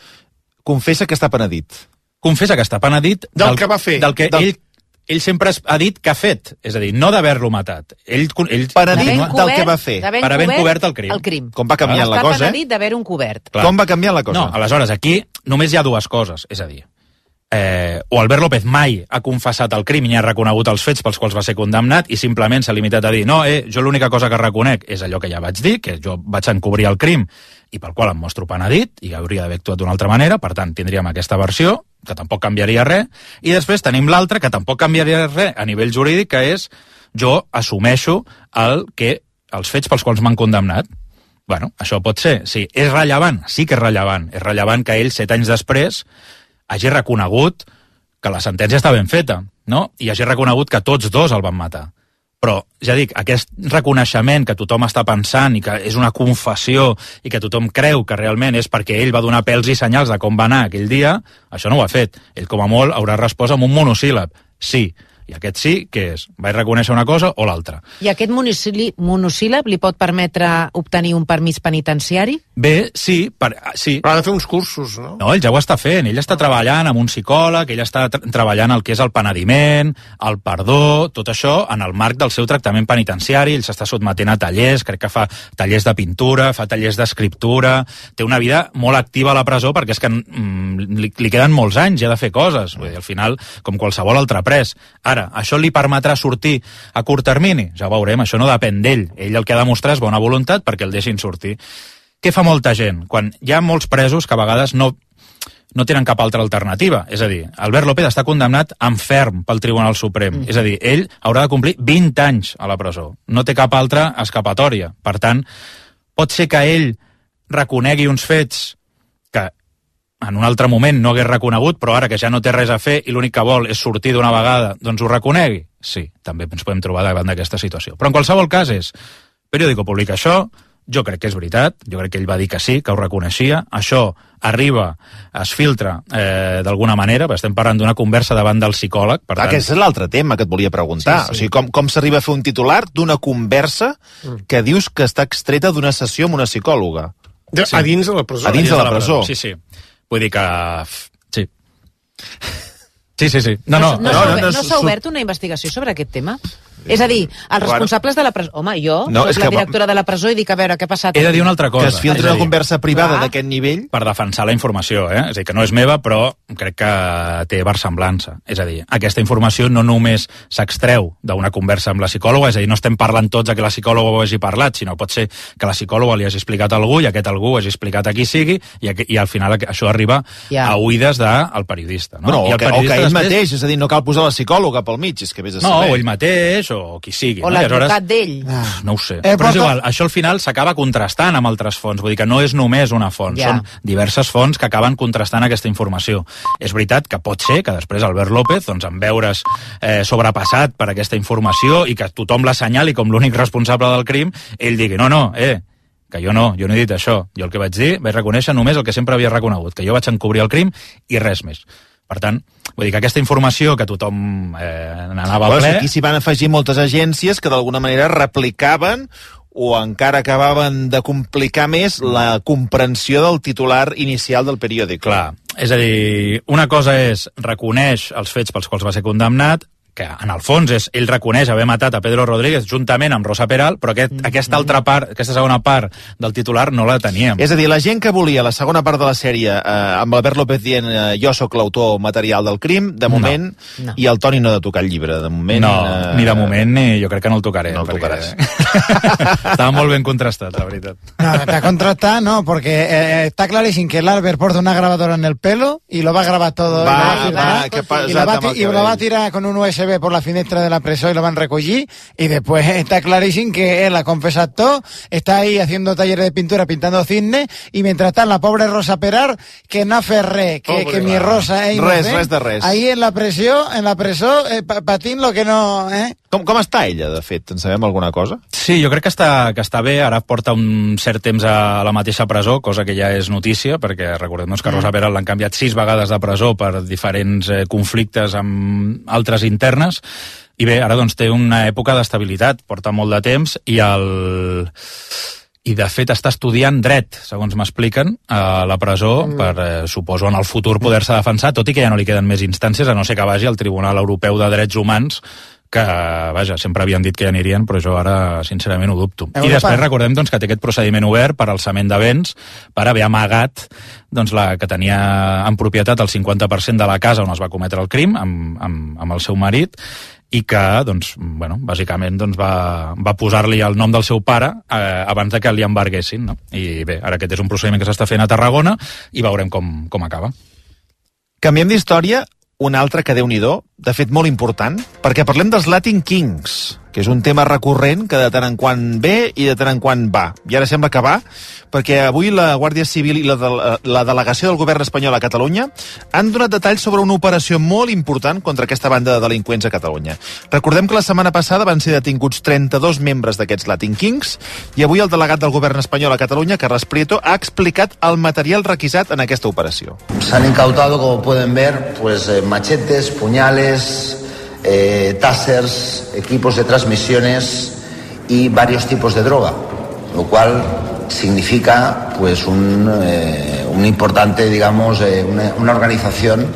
confessa que està penedit. Confessa que està penedit del que va fer. Del que ell sempre ha dit que ha fet, és a dir, no d'haver-lo matat. Ell penedit del que va fer. Per haver encobert el crim. Com va canviant la cosa, Està penedit d'haver-ho encobert. Com va canviar la cosa? No, aleshores, aquí només hi ha dues coses, és a dir, o Albert López mai ha confessat el crim i ha reconegut els fets pels quals va ser condemnat i simplement s'ha limitat a dir, no, jo l'única cosa que reconec és allò que ja vaig dir, que jo vaig encobrir el crim i pel qual em mostro penedit i hauria d'haver actuat d'una altra manera, per tant tindríem aquesta versió que tampoc canviaria res, i després tenim l'altra que tampoc canviaria res a nivell jurídic, que és jo assumeixo els fets pels quals m'han condemnat. Bueno, això pot ser, sí. És rellevant? Sí que és rellevant. És rellevant que ell, 7 anys després, hagi reconegut que la sentència està ben feta, no? I hagi reconegut que tots dos el van matar. Però, ja dic, aquest reconeixement que tothom està pensant i que és una confessió i que tothom creu que realment és perquè ell va donar pèls i senyals de com va anar aquell dia, això no ho ha fet. Ell, com a molt, haurà respost amb un monosíl·lab. Sí. I aquest sí, què és? Vaig reconèixer una cosa o l'altra. I aquest monosíl·lab li pot permetre obtenir un permís penitenciari? Bé, sí. Sí. Però ha de fer uns cursos, no? No, ell ja ho està fent. Ell està treballant amb un psicòleg, ell està treballant el que és el penediment, el perdó, tot això en el marc del seu tractament penitenciari. Ell s'està sotmetent a tallers, crec que fa tallers de pintura, fa tallers d'escriptura, té una vida molt activa a la presó perquè és que li queden molts anys ja de fer coses. Vull dir, al final, com qualsevol altre pres. Ara, això li permetrà sortir a curt termini? Ja ho veurem, això no depèn d'ell. Ell el que ha de mostrar és bona voluntat perquè el deixin sortir. Què fa molta gent? Quan hi ha molts presos que a vegades no tenen cap altra alternativa. És a dir, Albert López està condemnat en ferm pel Tribunal Suprem. És a dir, ell haurà de complir 20 anys a la presó. No té cap altra escapatòria. Per tant, pot ser que ell reconegui uns fets que en un altre moment no hagués reconegut, però ara que ja no té res a fer i l'únic que vol és sortir d'una vegada, doncs ho reconegui? Sí, també ens podem trobar davant d'aquesta situació. Però en qualsevol cas és, Periódico publica això, Jo crec que és veritat, jo crec que ell va dir que sí, que ho reconeixia. Això arriba, es filtra d'alguna manera, perquè estem parlant d'una conversa davant del psicòleg. Per tant... Aquest és l'altre tema que et volia preguntar. Sí, sí. O sigui, com s'arriba a fer un titular d'una conversa que dius que està extreta d'una sessió amb una psicòloga? Sí. A dins de la presó. A dins de la presó. Sí, sí. Vull dir que... Sí. Sí. No s'ha obert una investigació sobre aquest tema? És a dir, els responsables de la presó... Home, jo soc la directora de la presó i dic, a veure, què ha passat? He de dir una altra cosa. Que es filtra una conversa privada d'aquest nivell? Per defensar la informació, És a dir, que no és meva, però crec que té versemblança. És a dir, aquesta informació no només s'extreu d'una conversa amb la psicòloga, és a dir, no estem parlant tots que la psicòloga ho hagi parlat, sinó pot ser que la psicòloga li hagi explicat a algú i aquest algú ho hagi explicat a qui sigui i al final això arriba a oïdes del periodista. No? O que ell mateix, és a dir, no cal posar la psicòloga pel mig, és que vés a saber. No, o ell mateix, o qui sigui. O l'advocat d'ell. No ho sé. Però és igual, això al final s'acaba contrastant amb altres fonts, vull dir que no és només una font, són diverses fonts que acaben contrastant aquesta informació. És veritat que pot ser que després Albert López, doncs, en veure's sobrepassat per aquesta informació i que tothom l'assenyali com l'únic responsable del crim, ell digui, que jo no he dit això. Jo el que vaig dir, vaig reconèixer només el que sempre havia reconegut, que jo vaig encobrir el crim i res més. Per tant, vull dir que aquesta informació que tothom n'anava a ple... Aquí s'hi van afegir moltes agències que d'alguna manera replicaven o encara acabaven de complicar més la comprensió del titular inicial del periòdic. Clar, és a dir, una cosa és reconeix els fets pels quals va ser condemnat, que en el fons és, ell reconeix haver matat a Pedro Rodríguez juntament amb Rosa Peral, però aquesta segona part del titular no la teníem. És a dir, la gent que volia la segona part de la sèrie amb Albert López dient jo sóc l'autor material del crim, de moment, i el Toni no ha de tocar el llibre, de moment... No, ni de moment, ni jo crec que no el tocaré. No el tocaràs. Estava molt ben contrastat, la veritat. No, está contrastado, no, porque está clarísimo que el Albert porta una grabadora en el pelo y lo va a grabar todo. Y lo va a tirar con un USB por la finestra de la presó y lo van a recoger, y después está clarísimo que él ha confesado todo, está ahí haciendo talleres de pintura, pintando cisnes, y mientras está la pobre Rosa Peral, que no hace res, que mi Rosa es res de res. Ahí en la presó, patint lo que no... Com està ella, de fet? En sabem alguna cosa? Sí, jo crec que està bé, ara porta un cert temps a la mateixa presó, cosa que ja és notícia, perquè recordem que Rosa Peral l'han canviat 6 vegades de presó per diferents conflictes amb altres internes, i bé, ara doncs té una època d'estabilitat, porta molt de temps, i de fet està estudiant dret, segons m'expliquen, a la presó, per, suposo, en el futur poder-se defensar, tot i que ja no li queden més instàncies, a no ser que vagi al Tribunal Europeu de Drets Humans, que, vaja, sempre havien dit que hi anirien, però jo ara, sincerament, ho dubto. I després recordem doncs, que té aquest procediment obert per alçament de béns, per haver amagat doncs, la que tenia en propietat el 50% de la casa on es va cometre el crim, amb el seu marit, i que, doncs, bueno, bàsicament doncs, va posar-li el nom del seu pare abans de que li embarguessin, no? I bé, ara aquest és un procediment que s'està fent a Tarragona i veurem com acaba. Canviem d'història, un altre que Déu-n'hi-do, de fet molt important, perquè parlem dels Latin Kings, que és un tema recurrent que de tant en quant ve i de tant en quant va. I ara sembla que va, perquè avui la Guàrdia Civil i la delegació del govern espanyol a Catalunya han donat detalls sobre una operació molt important contra aquesta banda de delinqüents a Catalunya. Recordem que la setmana passada van ser detinguts 32 membres d'aquests Latin Kings i avui el delegat del govern espanyol a Catalunya, Carles Prieto, ha explicat el material requisat en aquesta operació. S'han incautado, como pueden ver, machetes, puñales, tasers, equipos de transmisiones y varios tipos de droga, lo cual significa pues un importante, digamos, una organización,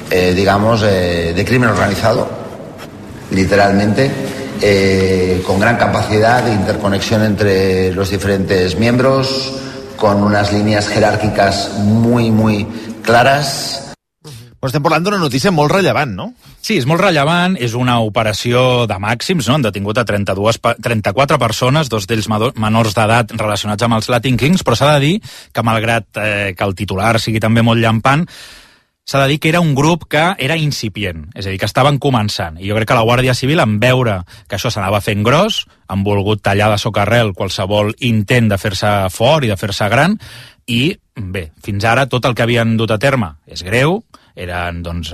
digamos, de crimen organizado, literalmente, con gran capacidad de interconexión entre los diferentes miembros, con unas líneas jerárquicas muy, muy claras. Però estem parlant d'una notícia molt rellevant, no? Sí, és molt rellevant, és una operació de màxims, no? Han detingut a 34 persones, 2 d'ells menors d'edat relacionats amb els Latin Kings, però s'ha de dir que malgrat que el titular sigui també molt llampant, s'ha de dir que era un grup que era incipient, és a dir, que estaven començant. I jo crec que la Guàrdia Civil, en veure que això s'anava fent gros, han volgut tallar de socarrel qualsevol intent de fer-se fort i de fer-se gran, i bé, fins ara tot el que havien dut a terme és greu, eren doncs,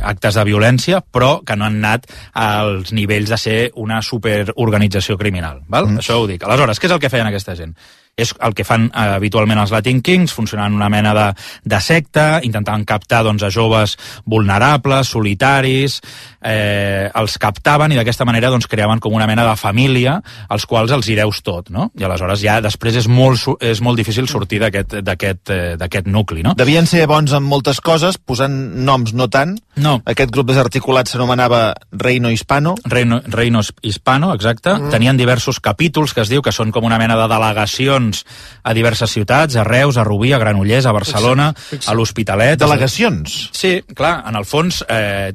actes de violència, però que no han anat als nivells de ser una superorganització criminal. Val? Això ho dic. Aleshores, què és el que feien aquesta gent? És el que fan habitualment els Latin Kings, funcionant una mena de secta, intentant captar doncs, a joves vulnerables, solitaris, els captaven i d'aquesta manera doncs, creaven com una mena de família als quals els hi deus tot, no? I aleshores ja després és molt difícil sortir d'aquest nucli, no? Devien ser bons en moltes coses, posant noms no tant. No. Aquest grup desarticulat s'anomenava Reino Hispano. Reino Hispano, exacte. Tenien diversos capítols que es diu que són com una mena de delegacions a diverses ciutats, a Reus, a Rubí, a Granollers, a Barcelona, a l'Hospitalet. Delegacions? Sí, clar, en el fons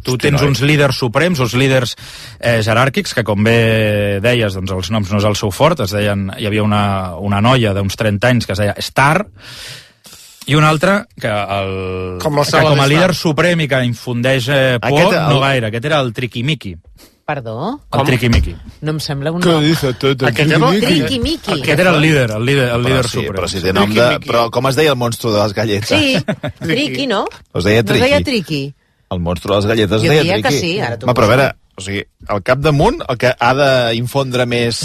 tu tens uns líders suprems, uns líders jeràrquics, que com bé deies, doncs els noms no és el seu fort, hi havia una noia d'uns 30 anys que es deia Star, i un altre que com a líder suprem i que infundeix por, no gaire. Aquest era el Triqui-Miqui. Perdó? El Triqui-Miqui. No em sembla un Què nom. dice tot? Triqui-Miqui. Aquest era el líder suprem. Però si té nom de... Però com es deia el monstru de les galletes? Sí, Triqui, no? Es deia Triqui. No es deia Triqui. El monstru de les galletes es Jo deia diria Triqui. que sí, ara tu Però a veure, o sigui, al capdamunt, el que ha d'infondre més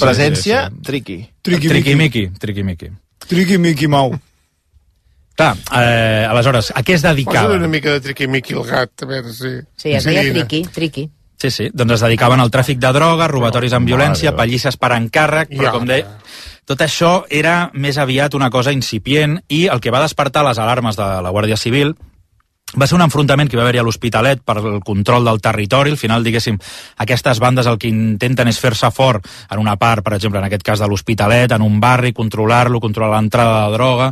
presència, Triqui. Triqui-Miqui. Triqui-Miqui Mau. Clar, aleshores, a què es dedicava? Posa una mica de Triqui-Miqui al gat, a veure si... Sí, es deia Triqui. Sí, doncs es dedicaven al tràfic de droga, robatoris amb violència, pallisses per encàrrec, però com deia, tot això era més aviat una cosa incipient i el que va despertar les alarmes de la Guàrdia Civil va ser un enfrontament que va haver-hi a l'Hospitalet per el control del territori. Al final, diguéssim, aquestes bandes el que intenten és fer-se fort en una part, per exemple, en aquest cas de l'Hospitalet, en un barri, controlar-lo, controlar l'entrada de droga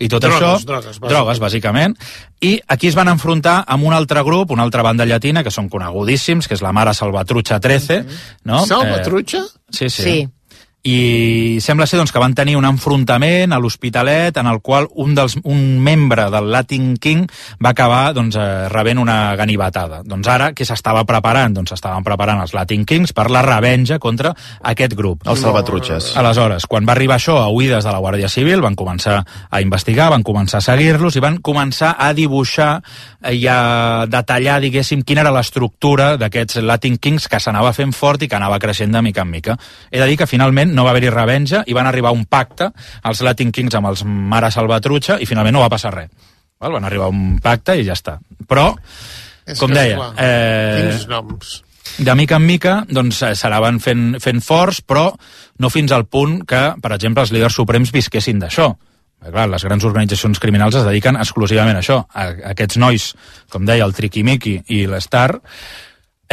i tot drogues, bàsicament. I aquí es van enfrontar amb un altre grup, una altra banda llatina, que són conegudíssims, que és la Mare Salvatrucha 13. No? Salvatrucha? Sí. I sembla ser doncs, que van tenir un enfrontament a l'Hospitalet en el qual un membre del Latin King va acabar doncs, rebent una ganivetada. Doncs ara, què s'estava preparant? Doncs s'estaven preparant els Latin Kings per la revenja contra aquest grup. Els Salvatruches. Aleshores, quan va arribar això a oïdes de la Guàrdia Civil, van començar a investigar, van començar a seguir-los i van començar a dibuixar i a detallar, diguéssim, quina era l'estructura d'aquests Latin Kings que s'anava fent fort i que anava creixent de mica en mica. He de dir que finalment no va haver-hi revenja i van arribar a un pacte els Latin Kings amb els Mare Salvatrucha i finalment no va passar res. Van arribar a un pacte i ja està. Però, com deia, quins noms. De mica en mica doncs, s'anaven fent forts, però no fins al punt que, per exemple, els líders suprems visquessin d'això. Clar, les grans organitzacions criminals es dediquen exclusivament a això. Aquests nois, com deia, el Triqui-Miqui i l'Star,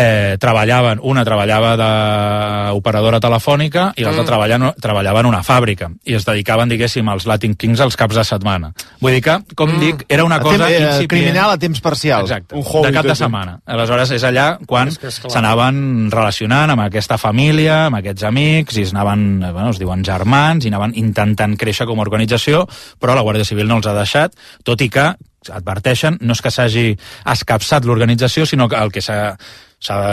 una treballava d'operadora telefònica i l'altra treballava en una fàbrica i es dedicaven, diguéssim, als Latin Kings els caps de setmana. Vull dir que, com dic, era una cosa incipient. Criminal a temps parcial. Exacte, de cap de setmana. Aleshores és allà quan s'anaven relacionant amb aquesta família, amb aquests amics, i es diuen germans, i anaven intentant créixer com a organització, però la Guàrdia Civil no els ha deixat, tot i que adverteixen, no és que s'hagi escapçat l'organització, sinó que el que s'ha,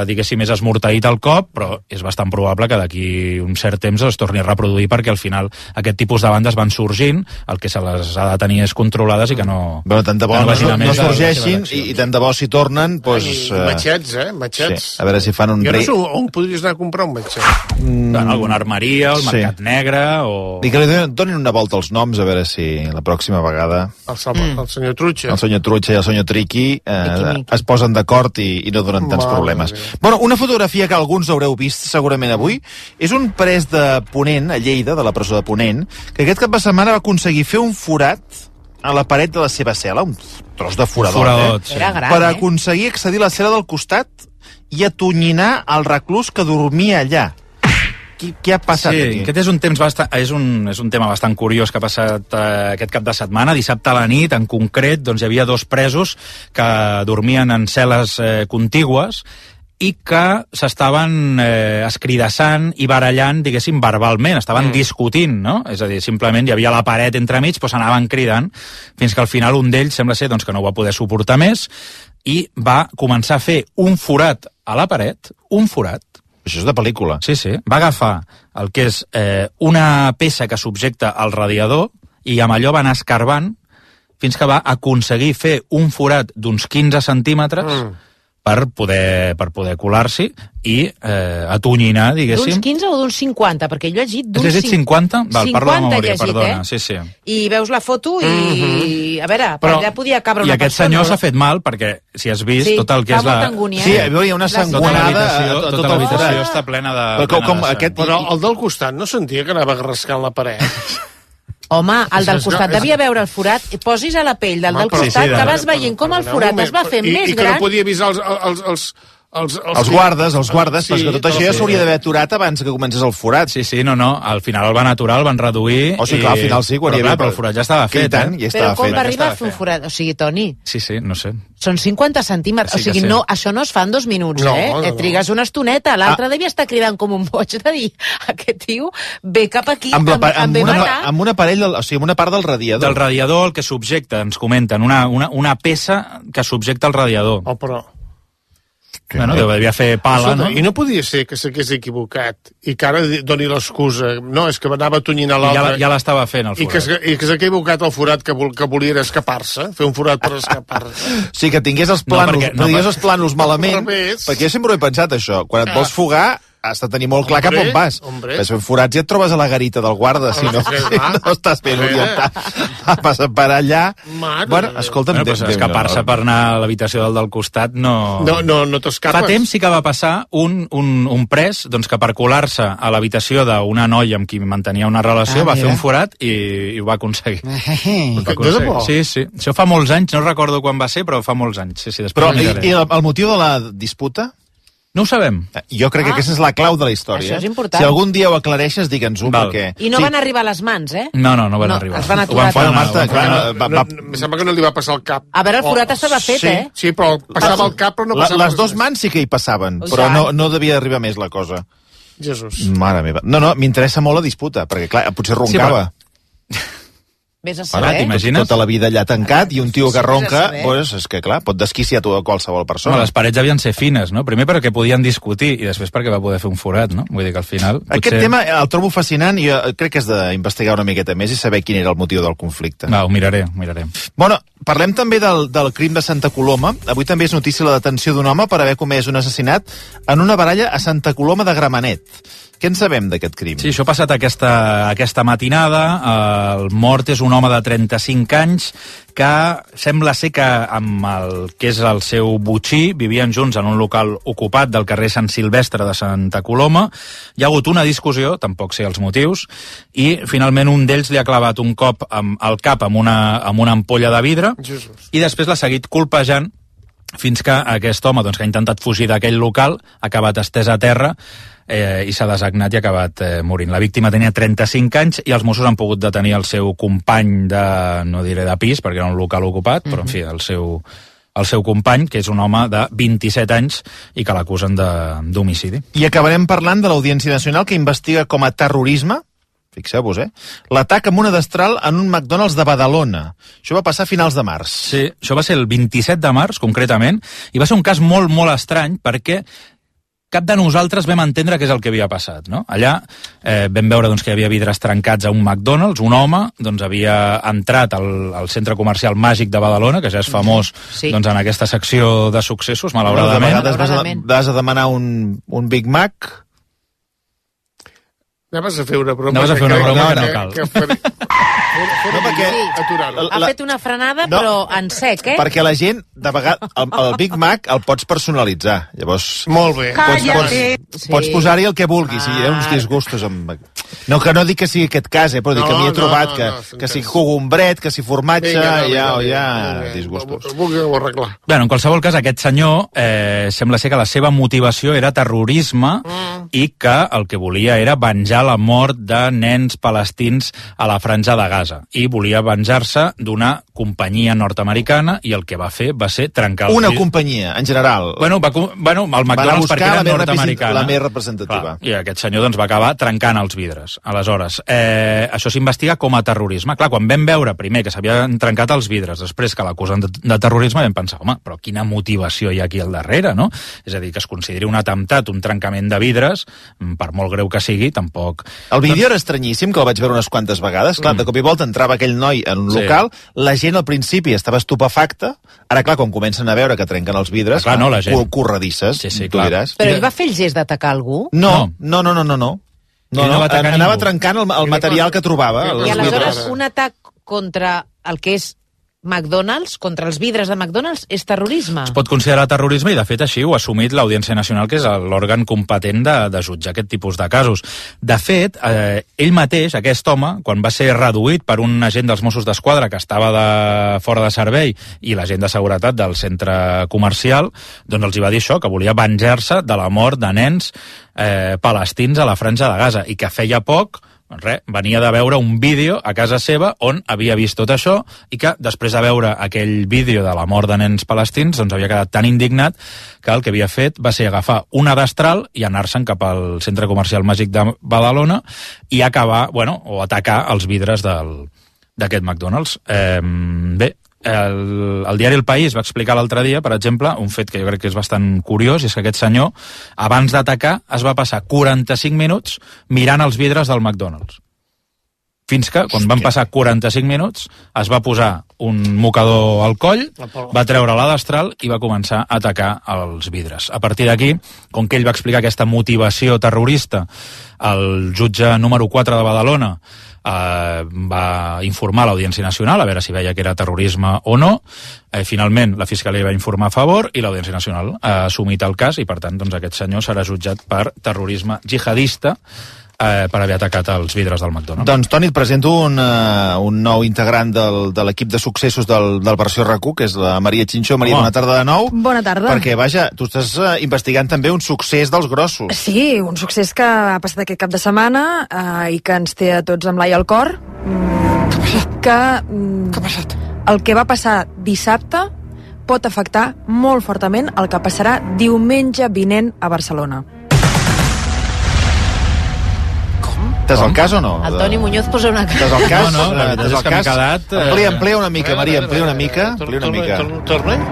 diguéssim, és esmorteït el cop, però és bastant probable que d'aquí un cert temps es torni a reproduir perquè al final aquest tipus de bandes van sorgint, el que se les ha de tenir és controlades i que no... Bueno, tant de bo no sorgeixin i tant de bo si tornen, doncs... Matxets, matxets. Sí, a veure si fan un... Jo no sé on podries anar a comprar un matxet. En alguna armeria, al Mercat Negre, o... I que li donin una volta als noms, a veure si la pròxima vegada... El senyor Trucha. El senyor Trucha i el senyor Triqui es posen d'acord i no donen tants problemes. Bueno, una fotografia que alguns haureu vist segurament avui és un pres de Ponent, a Lleida, de la presó de Ponent, que aquest cap de setmana va aconseguir fer un forat a la paret de la seva cel·la, un tros de forador, per aconseguir accedir a la cel·la del costat i atonyinar el reclús que dormia allà. Què ha passat aquí? Aquest és un tema bastant curiós que ha passat aquest cap de setmana. Dissabte a la nit, en concret, doncs, hi havia dos presos que dormien en cel·les contigües i que s'estaven escridassant i barallant, diguéssim, verbalment, estaven discutint, no? És a dir, simplement hi havia la paret entremig, però s'anaven cridant, fins que al final un d'ells sembla ser doncs, que no ho va poder suportar més i va començar a fer un forat a la paret, un forat. Això és de pel·lícula. Sí. Va agafar el que és una peça que subjecta al radiador i amb allò va anar escarbant fins que va aconseguir fer un forat d'uns 15 centímetres per poder colar-s'hi i atonyinar, diguéssim. D'uns 15 o d'uns 50? Perquè jo he llegit d'uns 50. Has llegit 50? Val, parlo de memòria, perdona. Sí. I veus la foto i... A veure, per allà podia cabre una persona. I aquest senyor s'ha fet mal, perquè si has vist tot el que és la... Sí, hi havia una sangonada. Tota l'habitació està plena de sang. Però el del costat no sentia que anava rascant la paret? Home, el del costat devia veure el forat. Posis a la pell del costat que vas veient com el forat es va fent més gran. I que no podia avisar els guardes, perquè tot això ja s'hauria d'haver aturat abans que comencés el forat. Sí, no, al final el van aturar, el van reduir... O sigui, al final sí, quan hi havia... Però el forat ja estava fet, Però com va arribar a fer un forat? O sigui, Toni... Sí, no sé. Són 50 centímetres, o sigui, no, això no es fa en 2 minuts, et trigues una estoneta, l'altre devia estar cridant com un boig de dir, aquest tio ve cap aquí, amb un aparell, o sigui, amb una part del radiador. Del radiador, el que subjecta, ens comenten, una peça que subjecta el radiador. Oh, però... Bueno, devia fer pala, no? I no podia ser que s'hagués equivocat i que ara doni l'excusa. No, és que anava tonyinar l'altre. Ja l'estava fent, el forat. I que s'ha equivocat el forat que volia era escapar-se, fer un forat per escapar-se. Sí, que tingués els plànols, no digués els plànols malament, perquè jo sempre ho he pensat, això. Quan et vols fugar, has de tenir molt clar cap on vas. Vas fent forats i et trobes a la garita del guarda, si no estàs ben orientat. Vas per allà... Bueno, escolta'm... Escapar-se per anar a l'habitació del costat no... No t'escapes. Fa temps sí que va passar un pres que per colar-se a l'habitació d'una noia amb qui mantenia una relació va fer un forat i ho va aconseguir. Sí. Això fa molts anys, no recordo quan va ser, però fa molts anys. Però i el motiu de la disputa? No ho sabem. Jo crec que aquesta és la clau de la història. Això és important. Si algun dia ho aclareixes, digue'ns-ho, perquè... I no van arribar a les mans, eh? No van arribar. Els van aturar. Em sembla que no li va passar el cap. A veure, el forat estava fet, eh? Sí, però passava el cap, però no passava... Les 2 mans sí que hi passaven, però no devia arribar més la cosa. Jesús. Mare meva. No, m'interessa molt la disputa, perquè clar, potser roncava. Vés a saber. T'imagines? Tota la vida allà tancat i un tio que ronca, doncs és que clar, pot desquiciar a qualsevol persona. Les parets havien ser fines, no? Primer perquè podien discutir i després perquè va poder fer un forat, no? Vull dir que al final... Aquest tema el trobo fascinant i jo crec que has d'investigar una miqueta més i saber quin era el motiu del conflicte. Ho miraré. Bueno, parlem també del crim de Santa Coloma. Avui també és notícia la detenció d'un home per haver comès un assassinat en una baralla a Santa Coloma de Gramenet. Què en sabem d'aquest crim? Sí, això ha passat aquesta matinada. El mort és un home de 35 anys que sembla ser que amb el que és el seu botxí vivien junts en un local ocupat del carrer Sant Silvestre de Santa Coloma. Hi ha hagut una discussió, tampoc sé els motius, i finalment un d'ells li ha clavat un cop al cap amb una ampolla de vidre i després l'ha seguit colpejant fins que aquest home que ha intentat fugir d'aquell local ha acabat estès a terra i s'ha desagnat i ha acabat morint. La víctima tenia 35 anys i els Mossos han pogut detenir el seu company no diré de pis, perquè era un local ocupat, però en fi, el seu company, que és un home de 27 anys i que l'acusen d'homicidi. I acabarem parlant de l'Audiència Nacional que investiga com a terrorisme, fixeu-vos, l'atac amb una destral en un McDonald's de Badalona. Això va passar a finals de març. Sí, això va ser el 27 de març, concretament, i va ser un cas molt, molt estrany, perquè cap de nosaltres vam entendre què és el que havia passat, no? Allà vam veure que hi havia vidres trencats a un McDonald's, un home havia entrat al centre comercial Màgic de Badalona, que ja és famós en aquesta secció de successos, malauradament. De vegades vas a demanar un Big Mac. Anaves a fer una broma. No cal. No, perquè... Ha fet una frenada, però en sec, eh? Perquè la gent, de vegades, el Big Mac el pots personalitzar. Llavors... Molt bé. Pots posar-hi el que vulguis, i hi ha uns disgustos amb... No, que no dic que sigui aquest cas, però dic que m'hi he trobat que si cogombret, que si formatge, hi ha disgustos. Ho arreglar. Bé, en qualsevol cas, aquest senyor sembla ser que la seva motivació era terrorisme i que el que volia era venjar la mort de nens palestins a la Franja de Gaza i volia venjar-se d'una companyia nord-americana i el que va fer va ser trencar... Una companyia, en general. Bueno, el McDonald's perquè era nord-americana. La més representativa. Clar, i aquest senyor va acabar trencant els vidres. Aleshores, això s'investiga com a terrorisme. Clar, quan vam veure primer que s'havien trencat els vidres, després que l'acusen de terrorisme, vam pensar, home, però quina motivació hi ha aquí al darrere, no? És a dir, que es consideri un atemptat, un trencament de vidres, vidres, per molt greu que sigui, tampoc... El vídeo era estranyíssim, que el vaig veure unes quantes vegades. Clar, de cop i volta entrava aquell noi en un local, la gent al principi estava estupefacta, ara, clar, quan comencen a veure que trenquen els vidres, corredisses, tu diràs. Però ell va fer el gest d'atacar algú? No. Anava trencant el material que trobava. I aleshores un atac contra el que és McDonald's, contra els vidres de McDonald's, és terrorisme? Es pot considerar terrorisme i, de fet, així ho ha assumit l'Audiència Nacional, que és l'òrgan competent de jutjar aquest tipus de casos. De fet, ell mateix, aquest home, quan va ser reduït per un agent dels Mossos d'Esquadra que estava fora de servei i l'agent de seguretat del centre comercial, doncs els hi va dir això, que volia venjar-se de la mort de nens palestins a la Franja de Gaza, i que feia poc venia de veure un vídeo a casa seva on havia vist tot això, i que després de veure aquell vídeo de la mort de nens palestins doncs havia quedat tan indignat que el que havia fet va ser agafar una destral i anar-se'n cap al centre comercial Màgic de Badalona i acabar, o atacar els vidres d'aquest McDonald's. Bé, el diari El País va explicar l'altre dia, per exemple, un fet que jo crec que és bastant curiós, i és que aquest senyor, abans d'atacar, es va passar 45 minuts mirant els vidres del McDonald's. Fins que, quan van passar 45 minuts, es va posar un mocador al coll, va treure la destral i va començar a atacar els vidres. A partir d'aquí, com que ell va explicar aquesta motivació terrorista, el jutge número 4 de Badalona va informar a l'Audiència Nacional a veure si veia que era terrorisme o no. Finalment, la Fiscalia va informar a favor i l'Audiència Nacional ha assumit el cas i, per tant, doncs, aquest senyor serà jutjat per terrorisme jihadista per haver atacat els vidres del McDonald's. Doncs, Toni, et presento un nou integrant de l'equip de successos del Versió RAC1, que és la Maria Xinxó. Maria, bona tarda de nou. Bona tarda. Perquè, vaja, tu estàs investigant també un succés dels grossos. Sí, un succés que ha passat aquest cap de setmana i que ens té a tots amb l'ai al cor. Què ha passat? El que va passar dissabte pot afectar molt fortament el que passarà diumenge vinent a Barcelona. T'has el cas o no? El Toni Muñoz posa una cara. T'has el cas? No, la veritat és que m'he quedat... Amplia una mica, Maria, amplia una mica.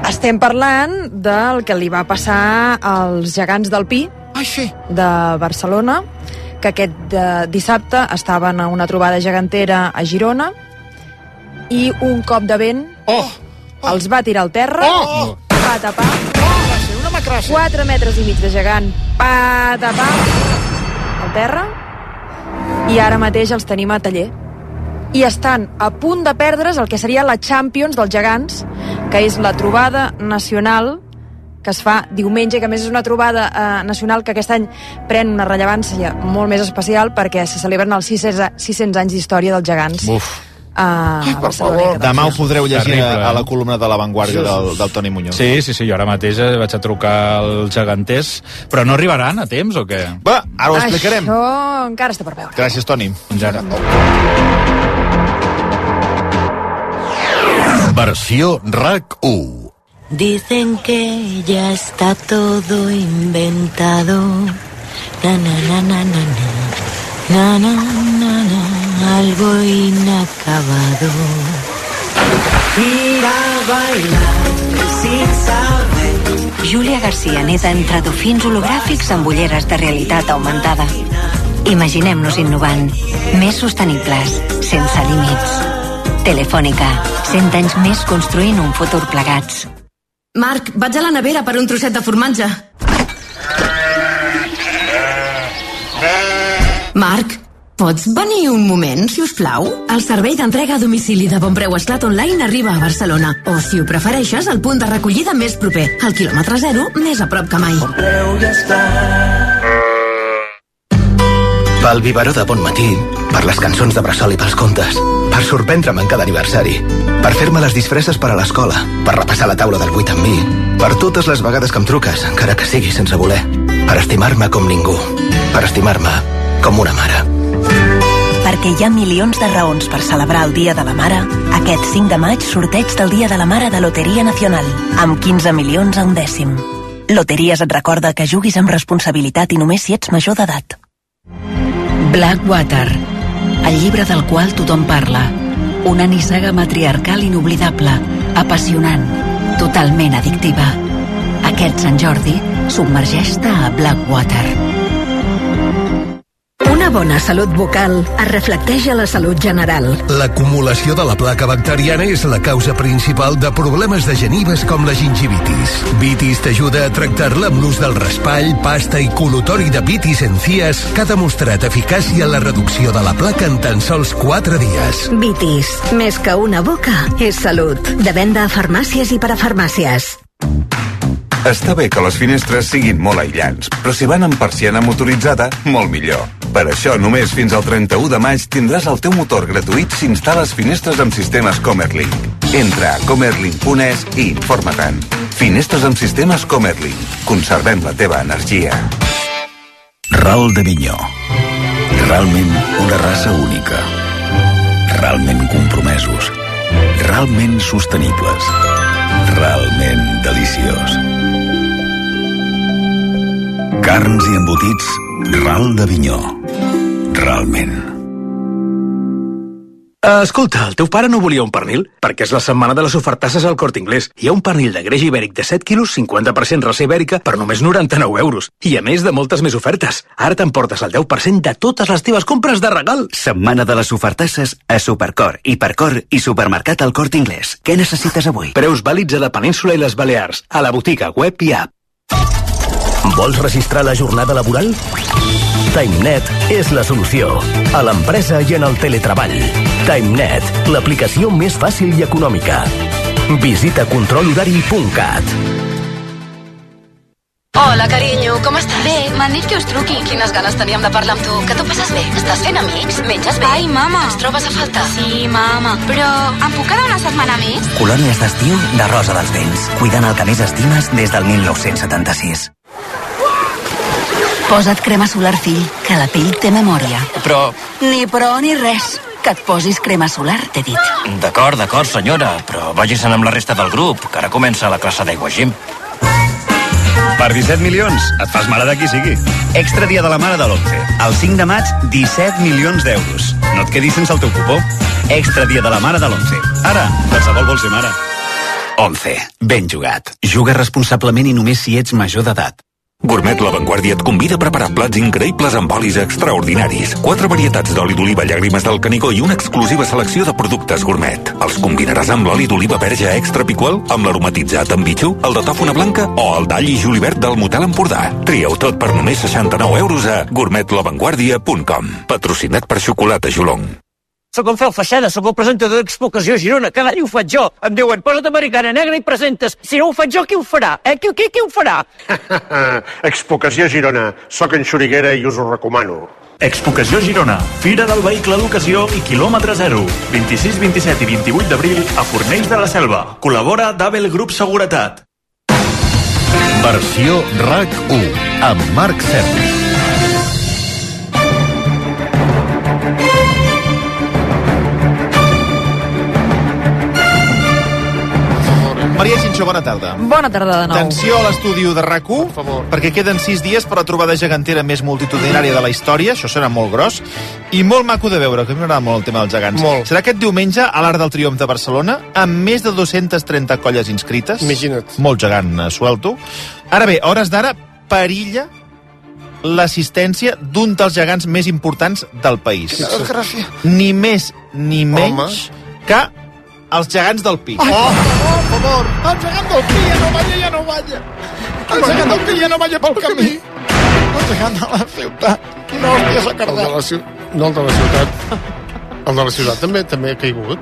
Estem parlant del que li va passar als gegants del Pi de Barcelona, que aquest dissabte estaven a una trobada gegantera a Girona i un cop de vent els va tirar al terra, va tapar 4 metres i mig de gegant, va tapar al terra, i ara mateix els tenim a taller. I estan a punt de perdre's el que seria la Champions dels gegants, que és la trobada nacional que es fa diumenge, que a més és una trobada nacional que aquest any pren una rellevància molt més especial perquè se celebren els 600 anys d'història dels gegants. Per favor. Demà ho podreu llegir a la columna de La Vanguardia del Toni Muñoz. Sí, jo ara mateix vaig a trucar als geganters, però no arribaran a temps o què? Va, ara ho explicarem. Això encara està per veure. Gràcies, Toni. Fins ara. Versió RAC1. Dicen que ya está todo inventado. Na na na na na na. Na na na na. Algo inacabado. Ir a bailar sin saber. Júlia García neta entre dofins hologràfics amb ulleres de realitat augmentada. Imaginem-nos innovant. Més sostenibles, sense límits. Telefònica, 100 anys més construint un futur plegats. Marc, vaig a la nevera per un trosset de formatge. Marc, pots venir un moment, si us plau? El servei d'entrega a domicili de Bon Preu Esclat Online arriba a Barcelona. O, si ho prefereixes, el punt de recollida més proper. Al quilòmetre 0, més a prop que mai. Bon Preu i Esclat. Pel biberó de bon matí, per les cançons de bressol i pels contes, per sorprendre'm en cada aniversari, per fer-me les disfresses per a l'escola, per repassar la taula del 8 amb mi, per totes les vegades que em truques, encara que sigui sense voler, per estimar-me com ningú, per estimar-me com una mare. Perquè hi ha milions de raons per celebrar el Dia de la Mare, aquest 5 de maig sorteig del Dia de la Mare de Loteria Nacional, amb 15 milions a un dècim. Loteries et recorda que juguis amb responsabilitat i només si ets major d'edat. Blackwater, el llibre del qual tothom parla. Una nissaga matriarcal inoblidable, apassionant, totalment addictiva. Aquest Sant Jordi, submergeix-te a Blackwater. bona salut bucal es reflecteix a la salut general. L'acumulació de la placa bacteriana és la causa principal de problemes de genives com la gingivitis. Vitis t'ajuda a tractar-la amb l'ús del raspall, pasta i col·lutori de Vitis Encías, que ha demostrat eficàcia en la reducció de la placa en tan sols 4 dies. Vitis, més que una boca, és salut. De venda a farmàcies i parafarmàcies. Està bé que les finestres siguin molt aïllants, però si van amb persiana motoritzada, molt millor. Per això, només fins al 31 de maig tindràs el teu motor gratuït si instal·les finestres amb sistemes Comerlink. Entra a comerlink.es i informa-te'n. Finestres amb sistemes Comerlink. Conservem la teva energia. Ral de Minyó. Realment una raça única. Realment compromesos. Realment sostenibles. Realment deliciós. Carns i embotits Ral de Vinyó. Realment. Escolta, el teu pare no volia un pernil? Perquè és la setmana de les ofertasses al Corte Inglés. Hi ha un pernil de greix ibèric de 7 quilos, 50% raça ibèrica, per només 99 euros. I a més de moltes més ofertes. Ara t'emportes el 10% de totes les teves compres de regal. Setmana de les ofertasses a Supercor, Hipercor i Supermercat al Corte Inglés. Què necessites avui? Preus vàlids a la península i les Balears, a la botiga, web i app. Vols registrar la jornada laboral? TimeNet és la solució. A l'empresa i en el teletreball. TimeNet, l'aplicació més fàcil i econòmica. Visita controlhorari.cat. Hola, carinyo, com estàs? Bé, m'han dit que us truqui. Quines ganes teníem de parlar amb tu. Que t'ho passes bé? Estàs fent amics? Menges bé? Ai, mama. Ens trobes a faltar? Sí, mama. Però em puc quedar una setmana més? Colònies d'estiu de Rosa dels Vents. Cuidant el que més estimes des del 1976. Posa't crema solar, fill, que la pell té memòria. Però... Ni però ni res. Que et posis crema solar, t'he dit. D'acord, senyora, però vagi-se'n amb la resta del grup, que ara comença la classe d'aigua gym. Per 17 milions, et fas mare de qui sigui. Extra dia de la mare de l'11. El 5 de maig, 17 milions d'euros. No et quedis sense el teu cupó. Extra dia de la mare de l'11. Ara, qualsevol vol ser mare. 11. Ben jugat. Juga responsablement i només si ets major d'edat. Gourmet La Vanguardia et convida a preparar plats increïbles amb olis extraordinaris. 4 varietats d'oli d'oliva llàgrimes del Canigó i una exclusiva selecció de productes gourmet. Els combinaràs amb l'oli d'oliva verge extra picual, amb l'aromatitzat amb bitxo, el de tòfona blanca o el d'all i julivert del Motel Empordà. Trieu tot per només 69 euros a gourmetlavanguardia.com. Patrocinat per Xocolata Jolong. Soc en Fel Feixada, soc el presentador d'Expocació Girona. Cada any ho faig jo. Em diuen, posa't americana negra i presentes. Si no ho faig jo, qui ho farà? Qui ho farà? Expocació Girona. Soc en Xuriguera i us ho recomano. Expocació Girona, Fira del Vehicle d'Ocasió i Quilòmetre Zero. 26, 27 i 28 d'abril a Fornells de la Selva. Col·labora d'Abel Grup Seguretat. Versió RAC1 amb Marc Sergi. Maria Xinxó, bona tarda. Bona tarda de nou. Atenció a l'estudi de RAC1, perquè queden 6 dies per la trobada gegantera més multitudinària de la història, això serà molt gros, i molt maco de veure, que a mi m'agrada molt el tema dels gegants. Molt. Serà aquest diumenge a l'Arc del Triomf de Barcelona, amb més de 230 colles inscrites. Imagina't. Molt gegant, suelto. Ara bé, a hores d'ara, perilla l'assistència d'un dels gegants més importants del país. Quina desgràcia. Ni més ni menys que els gegants del Pi. Per favor, el gegant del Pi ja no balla. El gegant del Pi ja no balla pel camí. El gegant de la ciutat. Quina hòstia s'ha cardat. No, el de la ciutat. El de la ciutat també ha caigut.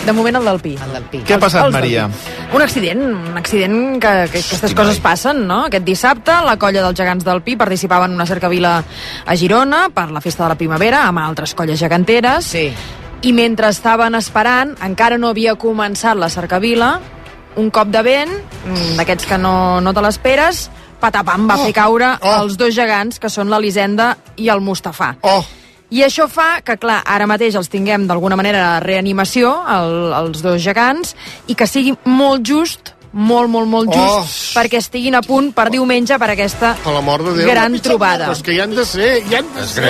De moment el del Pi. Què ha passat, Maria? Un accident que aquestes coses passen, no? Aquest dissabte la colla dels gegants del Pi participava en una cercavila a Girona per la festa de la primavera amb altres colles geganteres. Sí. I mentre estaven esperant, encara no havia començat la cercavila, un cop de vent, d'aquests que no te l'esperes, patapam, va fer caure els dos gegants, que són l'Elisenda i el Mustafà. I això fa que, clar, ara mateix els tinguem d'alguna manera a reanimació, els dos gegants, i que sigui molt just, molt just, perquè estiguin a punt per diumenge per aquesta gran trobada. Però és que hi han de ser, hi han de ser.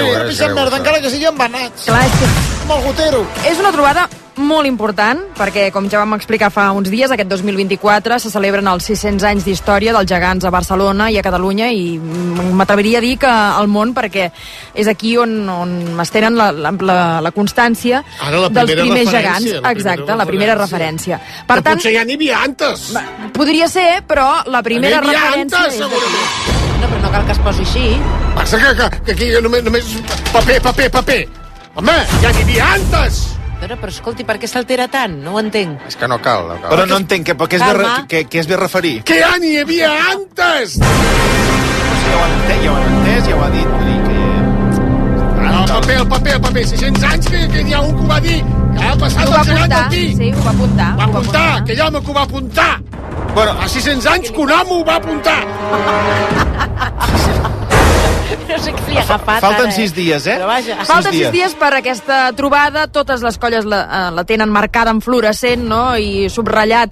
Encara que siguin embanats. Clar, és que amb el gotero. és una trobada molt important, perquè, com ja vam explicar fa uns dies, aquest 2024 se celebren els 600 anys d'història dels gegants a Barcelona i a Catalunya, i m'atreviria a dir que al món, perquè és aquí on es tenen la constància dels primers gegants. Exacte, la primera referència. Per tant, potser ja n'hi havia antes. Podria ser, però la primera referència... No, però no cal que es posi així. Passa que aquí només paper. Home, ja n'hi havia antes! Però escolti, per què s'altera tant? No ho entenc. És que no cal. Però no entenc, què es ve a referir? Que ja n'hi havia antes! Ja ho han entès, ja ho ha dit. El paper, 600 anys que hi ha un que ho va dir. Ja ha passat el gegant del Pi. Sí, ho va apuntar. Va apuntar, que hi ha home que ho va apuntar. Bueno, fa 600 anys que un home ho va apuntar. No sé què li ha agafat. Falten 6 dies, eh? Falten 6 dies per aquesta trobada. Totes les colles la tenen marcada en fluorescent, no?, i subratllat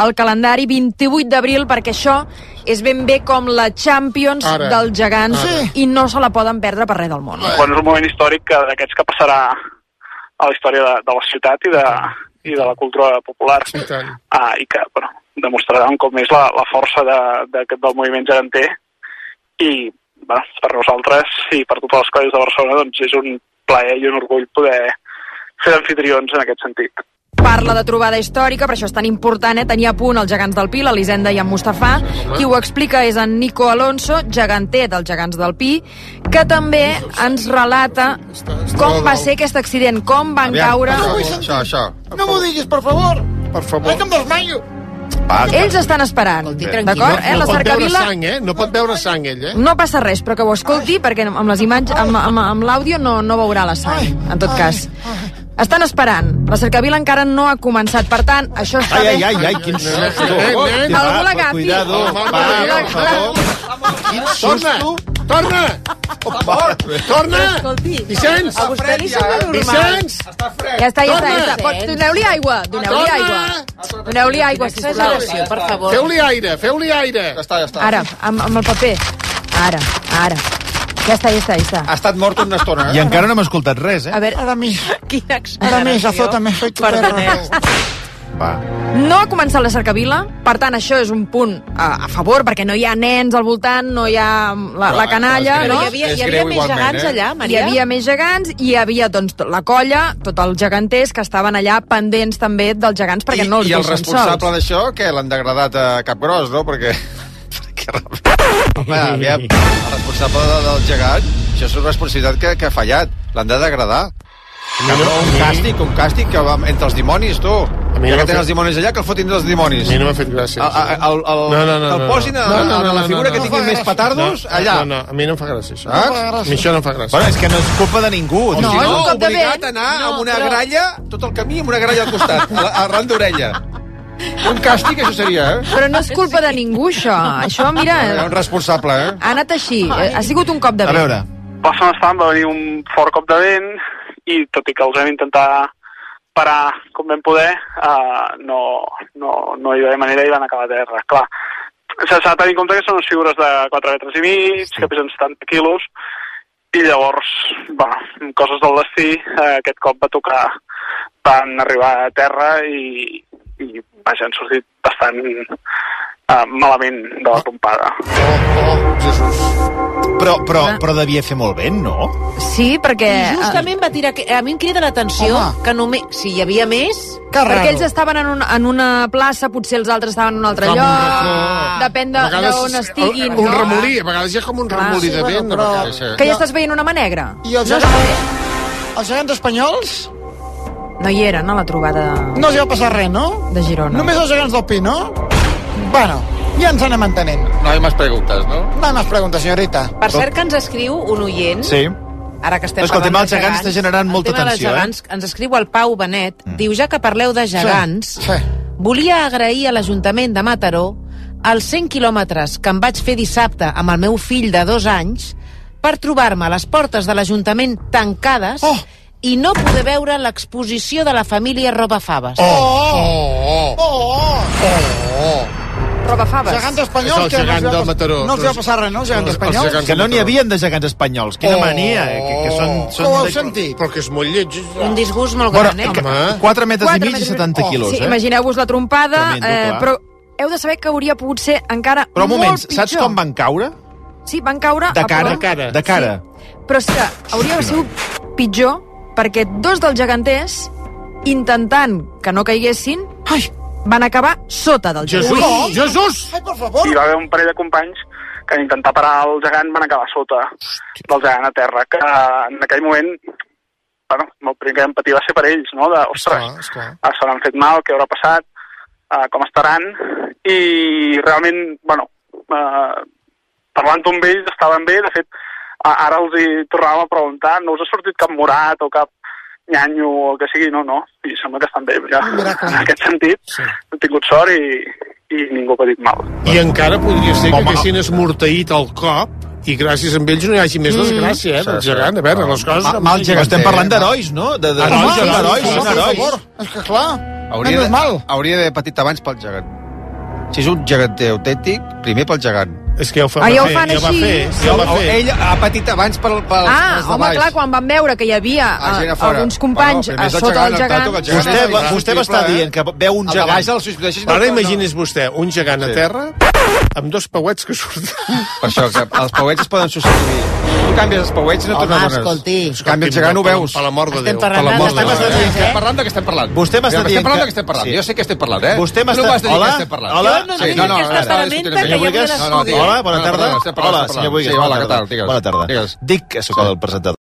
al calendari 28 d'abril, perquè això és ben bé com la Champions dels gegants i no se la poden perdre per res del món. Bueno, és un moment històric d'aquests que passarà a la història de la ciutat i de la cultura popular, i que, bueno, demostrarà un cop més la força del moviment geganter, i bueno, per nosaltres i per totes les colles de Barcelona doncs és un plaer i un orgull poder fer d'anfitrions en aquest sentit. Parla de trobada històrica, per això és tan important tenir a punt els gegants del Pi, l'Elisenda i en Mustafà. Qui ho explica és en Nico Alonso, geganter dels gegants del Pi, que també ens relata com va ser aquest accident, com van caure... Això. No m'ho diguis, per favor. Que em desmaio. Ells estan esperant, d'acord? La cercavila... No pot veure sang, ell, No passa res, però que ho escolti, perquè amb les imatges, amb l'àudio no veurà la sang, en tot cas. Estan esperant. La cercavila encara no ha començat. Per tant, això està bé. Ai, quin susto. Algú l'agafi. Cuidado. Quin susto. Torna. Vicenç. A vostè li sembla normal. Vicenç. Ja està. Doneu-li aigua. Doneu-li aigua, sisplau. Per favor. Feu-li aire. Ja està. Ara, amb el paper. Ara. Ja està. Ha estat mort una estona, I encara no hem escoltat res, A veure, quina exageració. Ara més, azótame, soy tu perro. Va. No ha començat la cercavila, per tant, això és un punt a favor, perquè no hi ha nens al voltant, no hi ha la canalla, Però no? hi havia més gegants allà, Maria? Hi havia més gegants i hi havia, doncs, la colla, tots els geganters que estaven allà pendents també dels gegants, perquè no els deixen sols. I el responsable d'això, que l'han degradat a Capgròs, no? Perquè... Home, aviam, el responsable del gegant, això és una responsabilitat que ha fallat. L'han de degradar. Un càstig que va entre els dimonis, tu. Ja que tenen els dimonis allà, que el fotin dels dimonis. A mi no m'ha fet gràcia. El posin a la figura que tinguin més petardos, allà. No, a mi no em fa gràcia, això. A mi això no em fa gràcia. Bueno, és que no és culpa de ningú. No, és un cop de vent. Obligat a anar amb una gralla, tot el camí amb una gralla al costat, arran d'orella. Un càstig, això seria, Però no és culpa de ningú, això. Això, mira... Un responsable, Ha anat així. Ha sigut un cop de vent. A veure. La setmana passada va venir un fort cop de vent i tot i que els vam intentar parar com vam poder, no hi va haver manera i van acabar a terra. Clar, s'ha de tenir en compte que són unes figures de 4 metres i mig, que pesen 70 quilos, i llavors, coses del destí, aquest cop van arribar a terra i vaja, han sortit bastant malament de la trompada. Jesús. Però devia fer molt vent, no? Sí, perquè... I justament va tirar... A mi em crida l'atenció que només... Si hi havia més... Perquè ells estaven en una plaça, potser els altres estaven en un altre lloc, depèn d'on estiguin. Un remolí, a vegades hi ha com un remolí de vent. Que ja estàs veient una mà negra? I els gegants espanyols? No hi eren, a la trobada... No els hi va passar res, no? De Girona. Només els gegants del Pi, no? Bueno, ja ens anem entenent. No hay más preguntes, no? No hay más preguntes, señorita. Per cert que ens escriu un oient... Sí. Ara que estem parlant de gegants està generant molta tensió, Ens escriu el Pau Benet, diu, ja que parleu de gegants, volia agrair a l'Ajuntament de Mataró els 100 quilòmetres que em vaig fer dissabte amb el meu fill de 2 anys per trobar-me a les portes de l'Ajuntament tancades i no poder veure l'exposició de la família Robafaves. robafaves. Gegants espanyols, És el gegant del Mataró. No els va passar res, no, els gegants espanyols? Que no n'hi havien de gegants espanyols. Quina mania. Que són Com ho heu sentit? Però que és molt lleig. Un disgust molt gran, 4 metres i mig i 70 quilos, Sí, imagineu-vos la trompada, Tremendo, però heu de saber que hauria pogut ser encara Però un moment, molt pitjor. saps com van caure? Sí, van caure... De cara? a prop. De cara. Sí. Però és que hauria sigut pitjor perquè dos dels geganters, intentant que no caiguessin, van acabar sota del gegant. Jesús! Ai, per favor! Hi va haver un parell de companys que en intentar parar el gegant van acabar sota del gegant a terra, que en aquell moment, bueno, el primer que empatia va ser per ells, no? De, ostres, se l'han fet mal, què haurà passat, com estaran, i realment, bueno, parlant amb ells estaven bé, de fet, ara els hi tornàvem a preguntar, no us ha sortit cap morat o cap nyanyo o el que sigui, no, i sembla que estan bé, ja. En aquest sentit, hem tingut sort i ningú ha patit mal. I encara podria ser que haguessin esmorteït el cop i gràcies a ells no hi hagi més desgràcia, del gegant. A veure, les coses... Mal gegant. Estem parlant d'herois, no? Herois. És que clar, hauria d'haver patit abans pel gegant. Si és un geganter autèntic, primer pel gegant. És que ja ho fa, ja ho fan així. Ell ha patit abans pels de baix. Home, clar, quan van veure que hi havia alguns companys sota el gegant... Vostè m'està dient que veu un gegant... Ara imagini's vostè un gegant a terra amb dos pauets que surten. Per això, que els pauets es poden substituir. Tu canvies els pauets i no tornes bones. Escolti. Canvia el gegant, ho veus. Per l'amor de Déu. Estem parlant de què estem parlant. Vostè m'està dient Estem parlant de què estem parlant. Jo sé que estem parlant, eh? Vostè m'està... Hola? Hola, bona tarda. Hola, senyor Buigas. Hola, què tal? Bona tarda. Dic que sóc el presentador.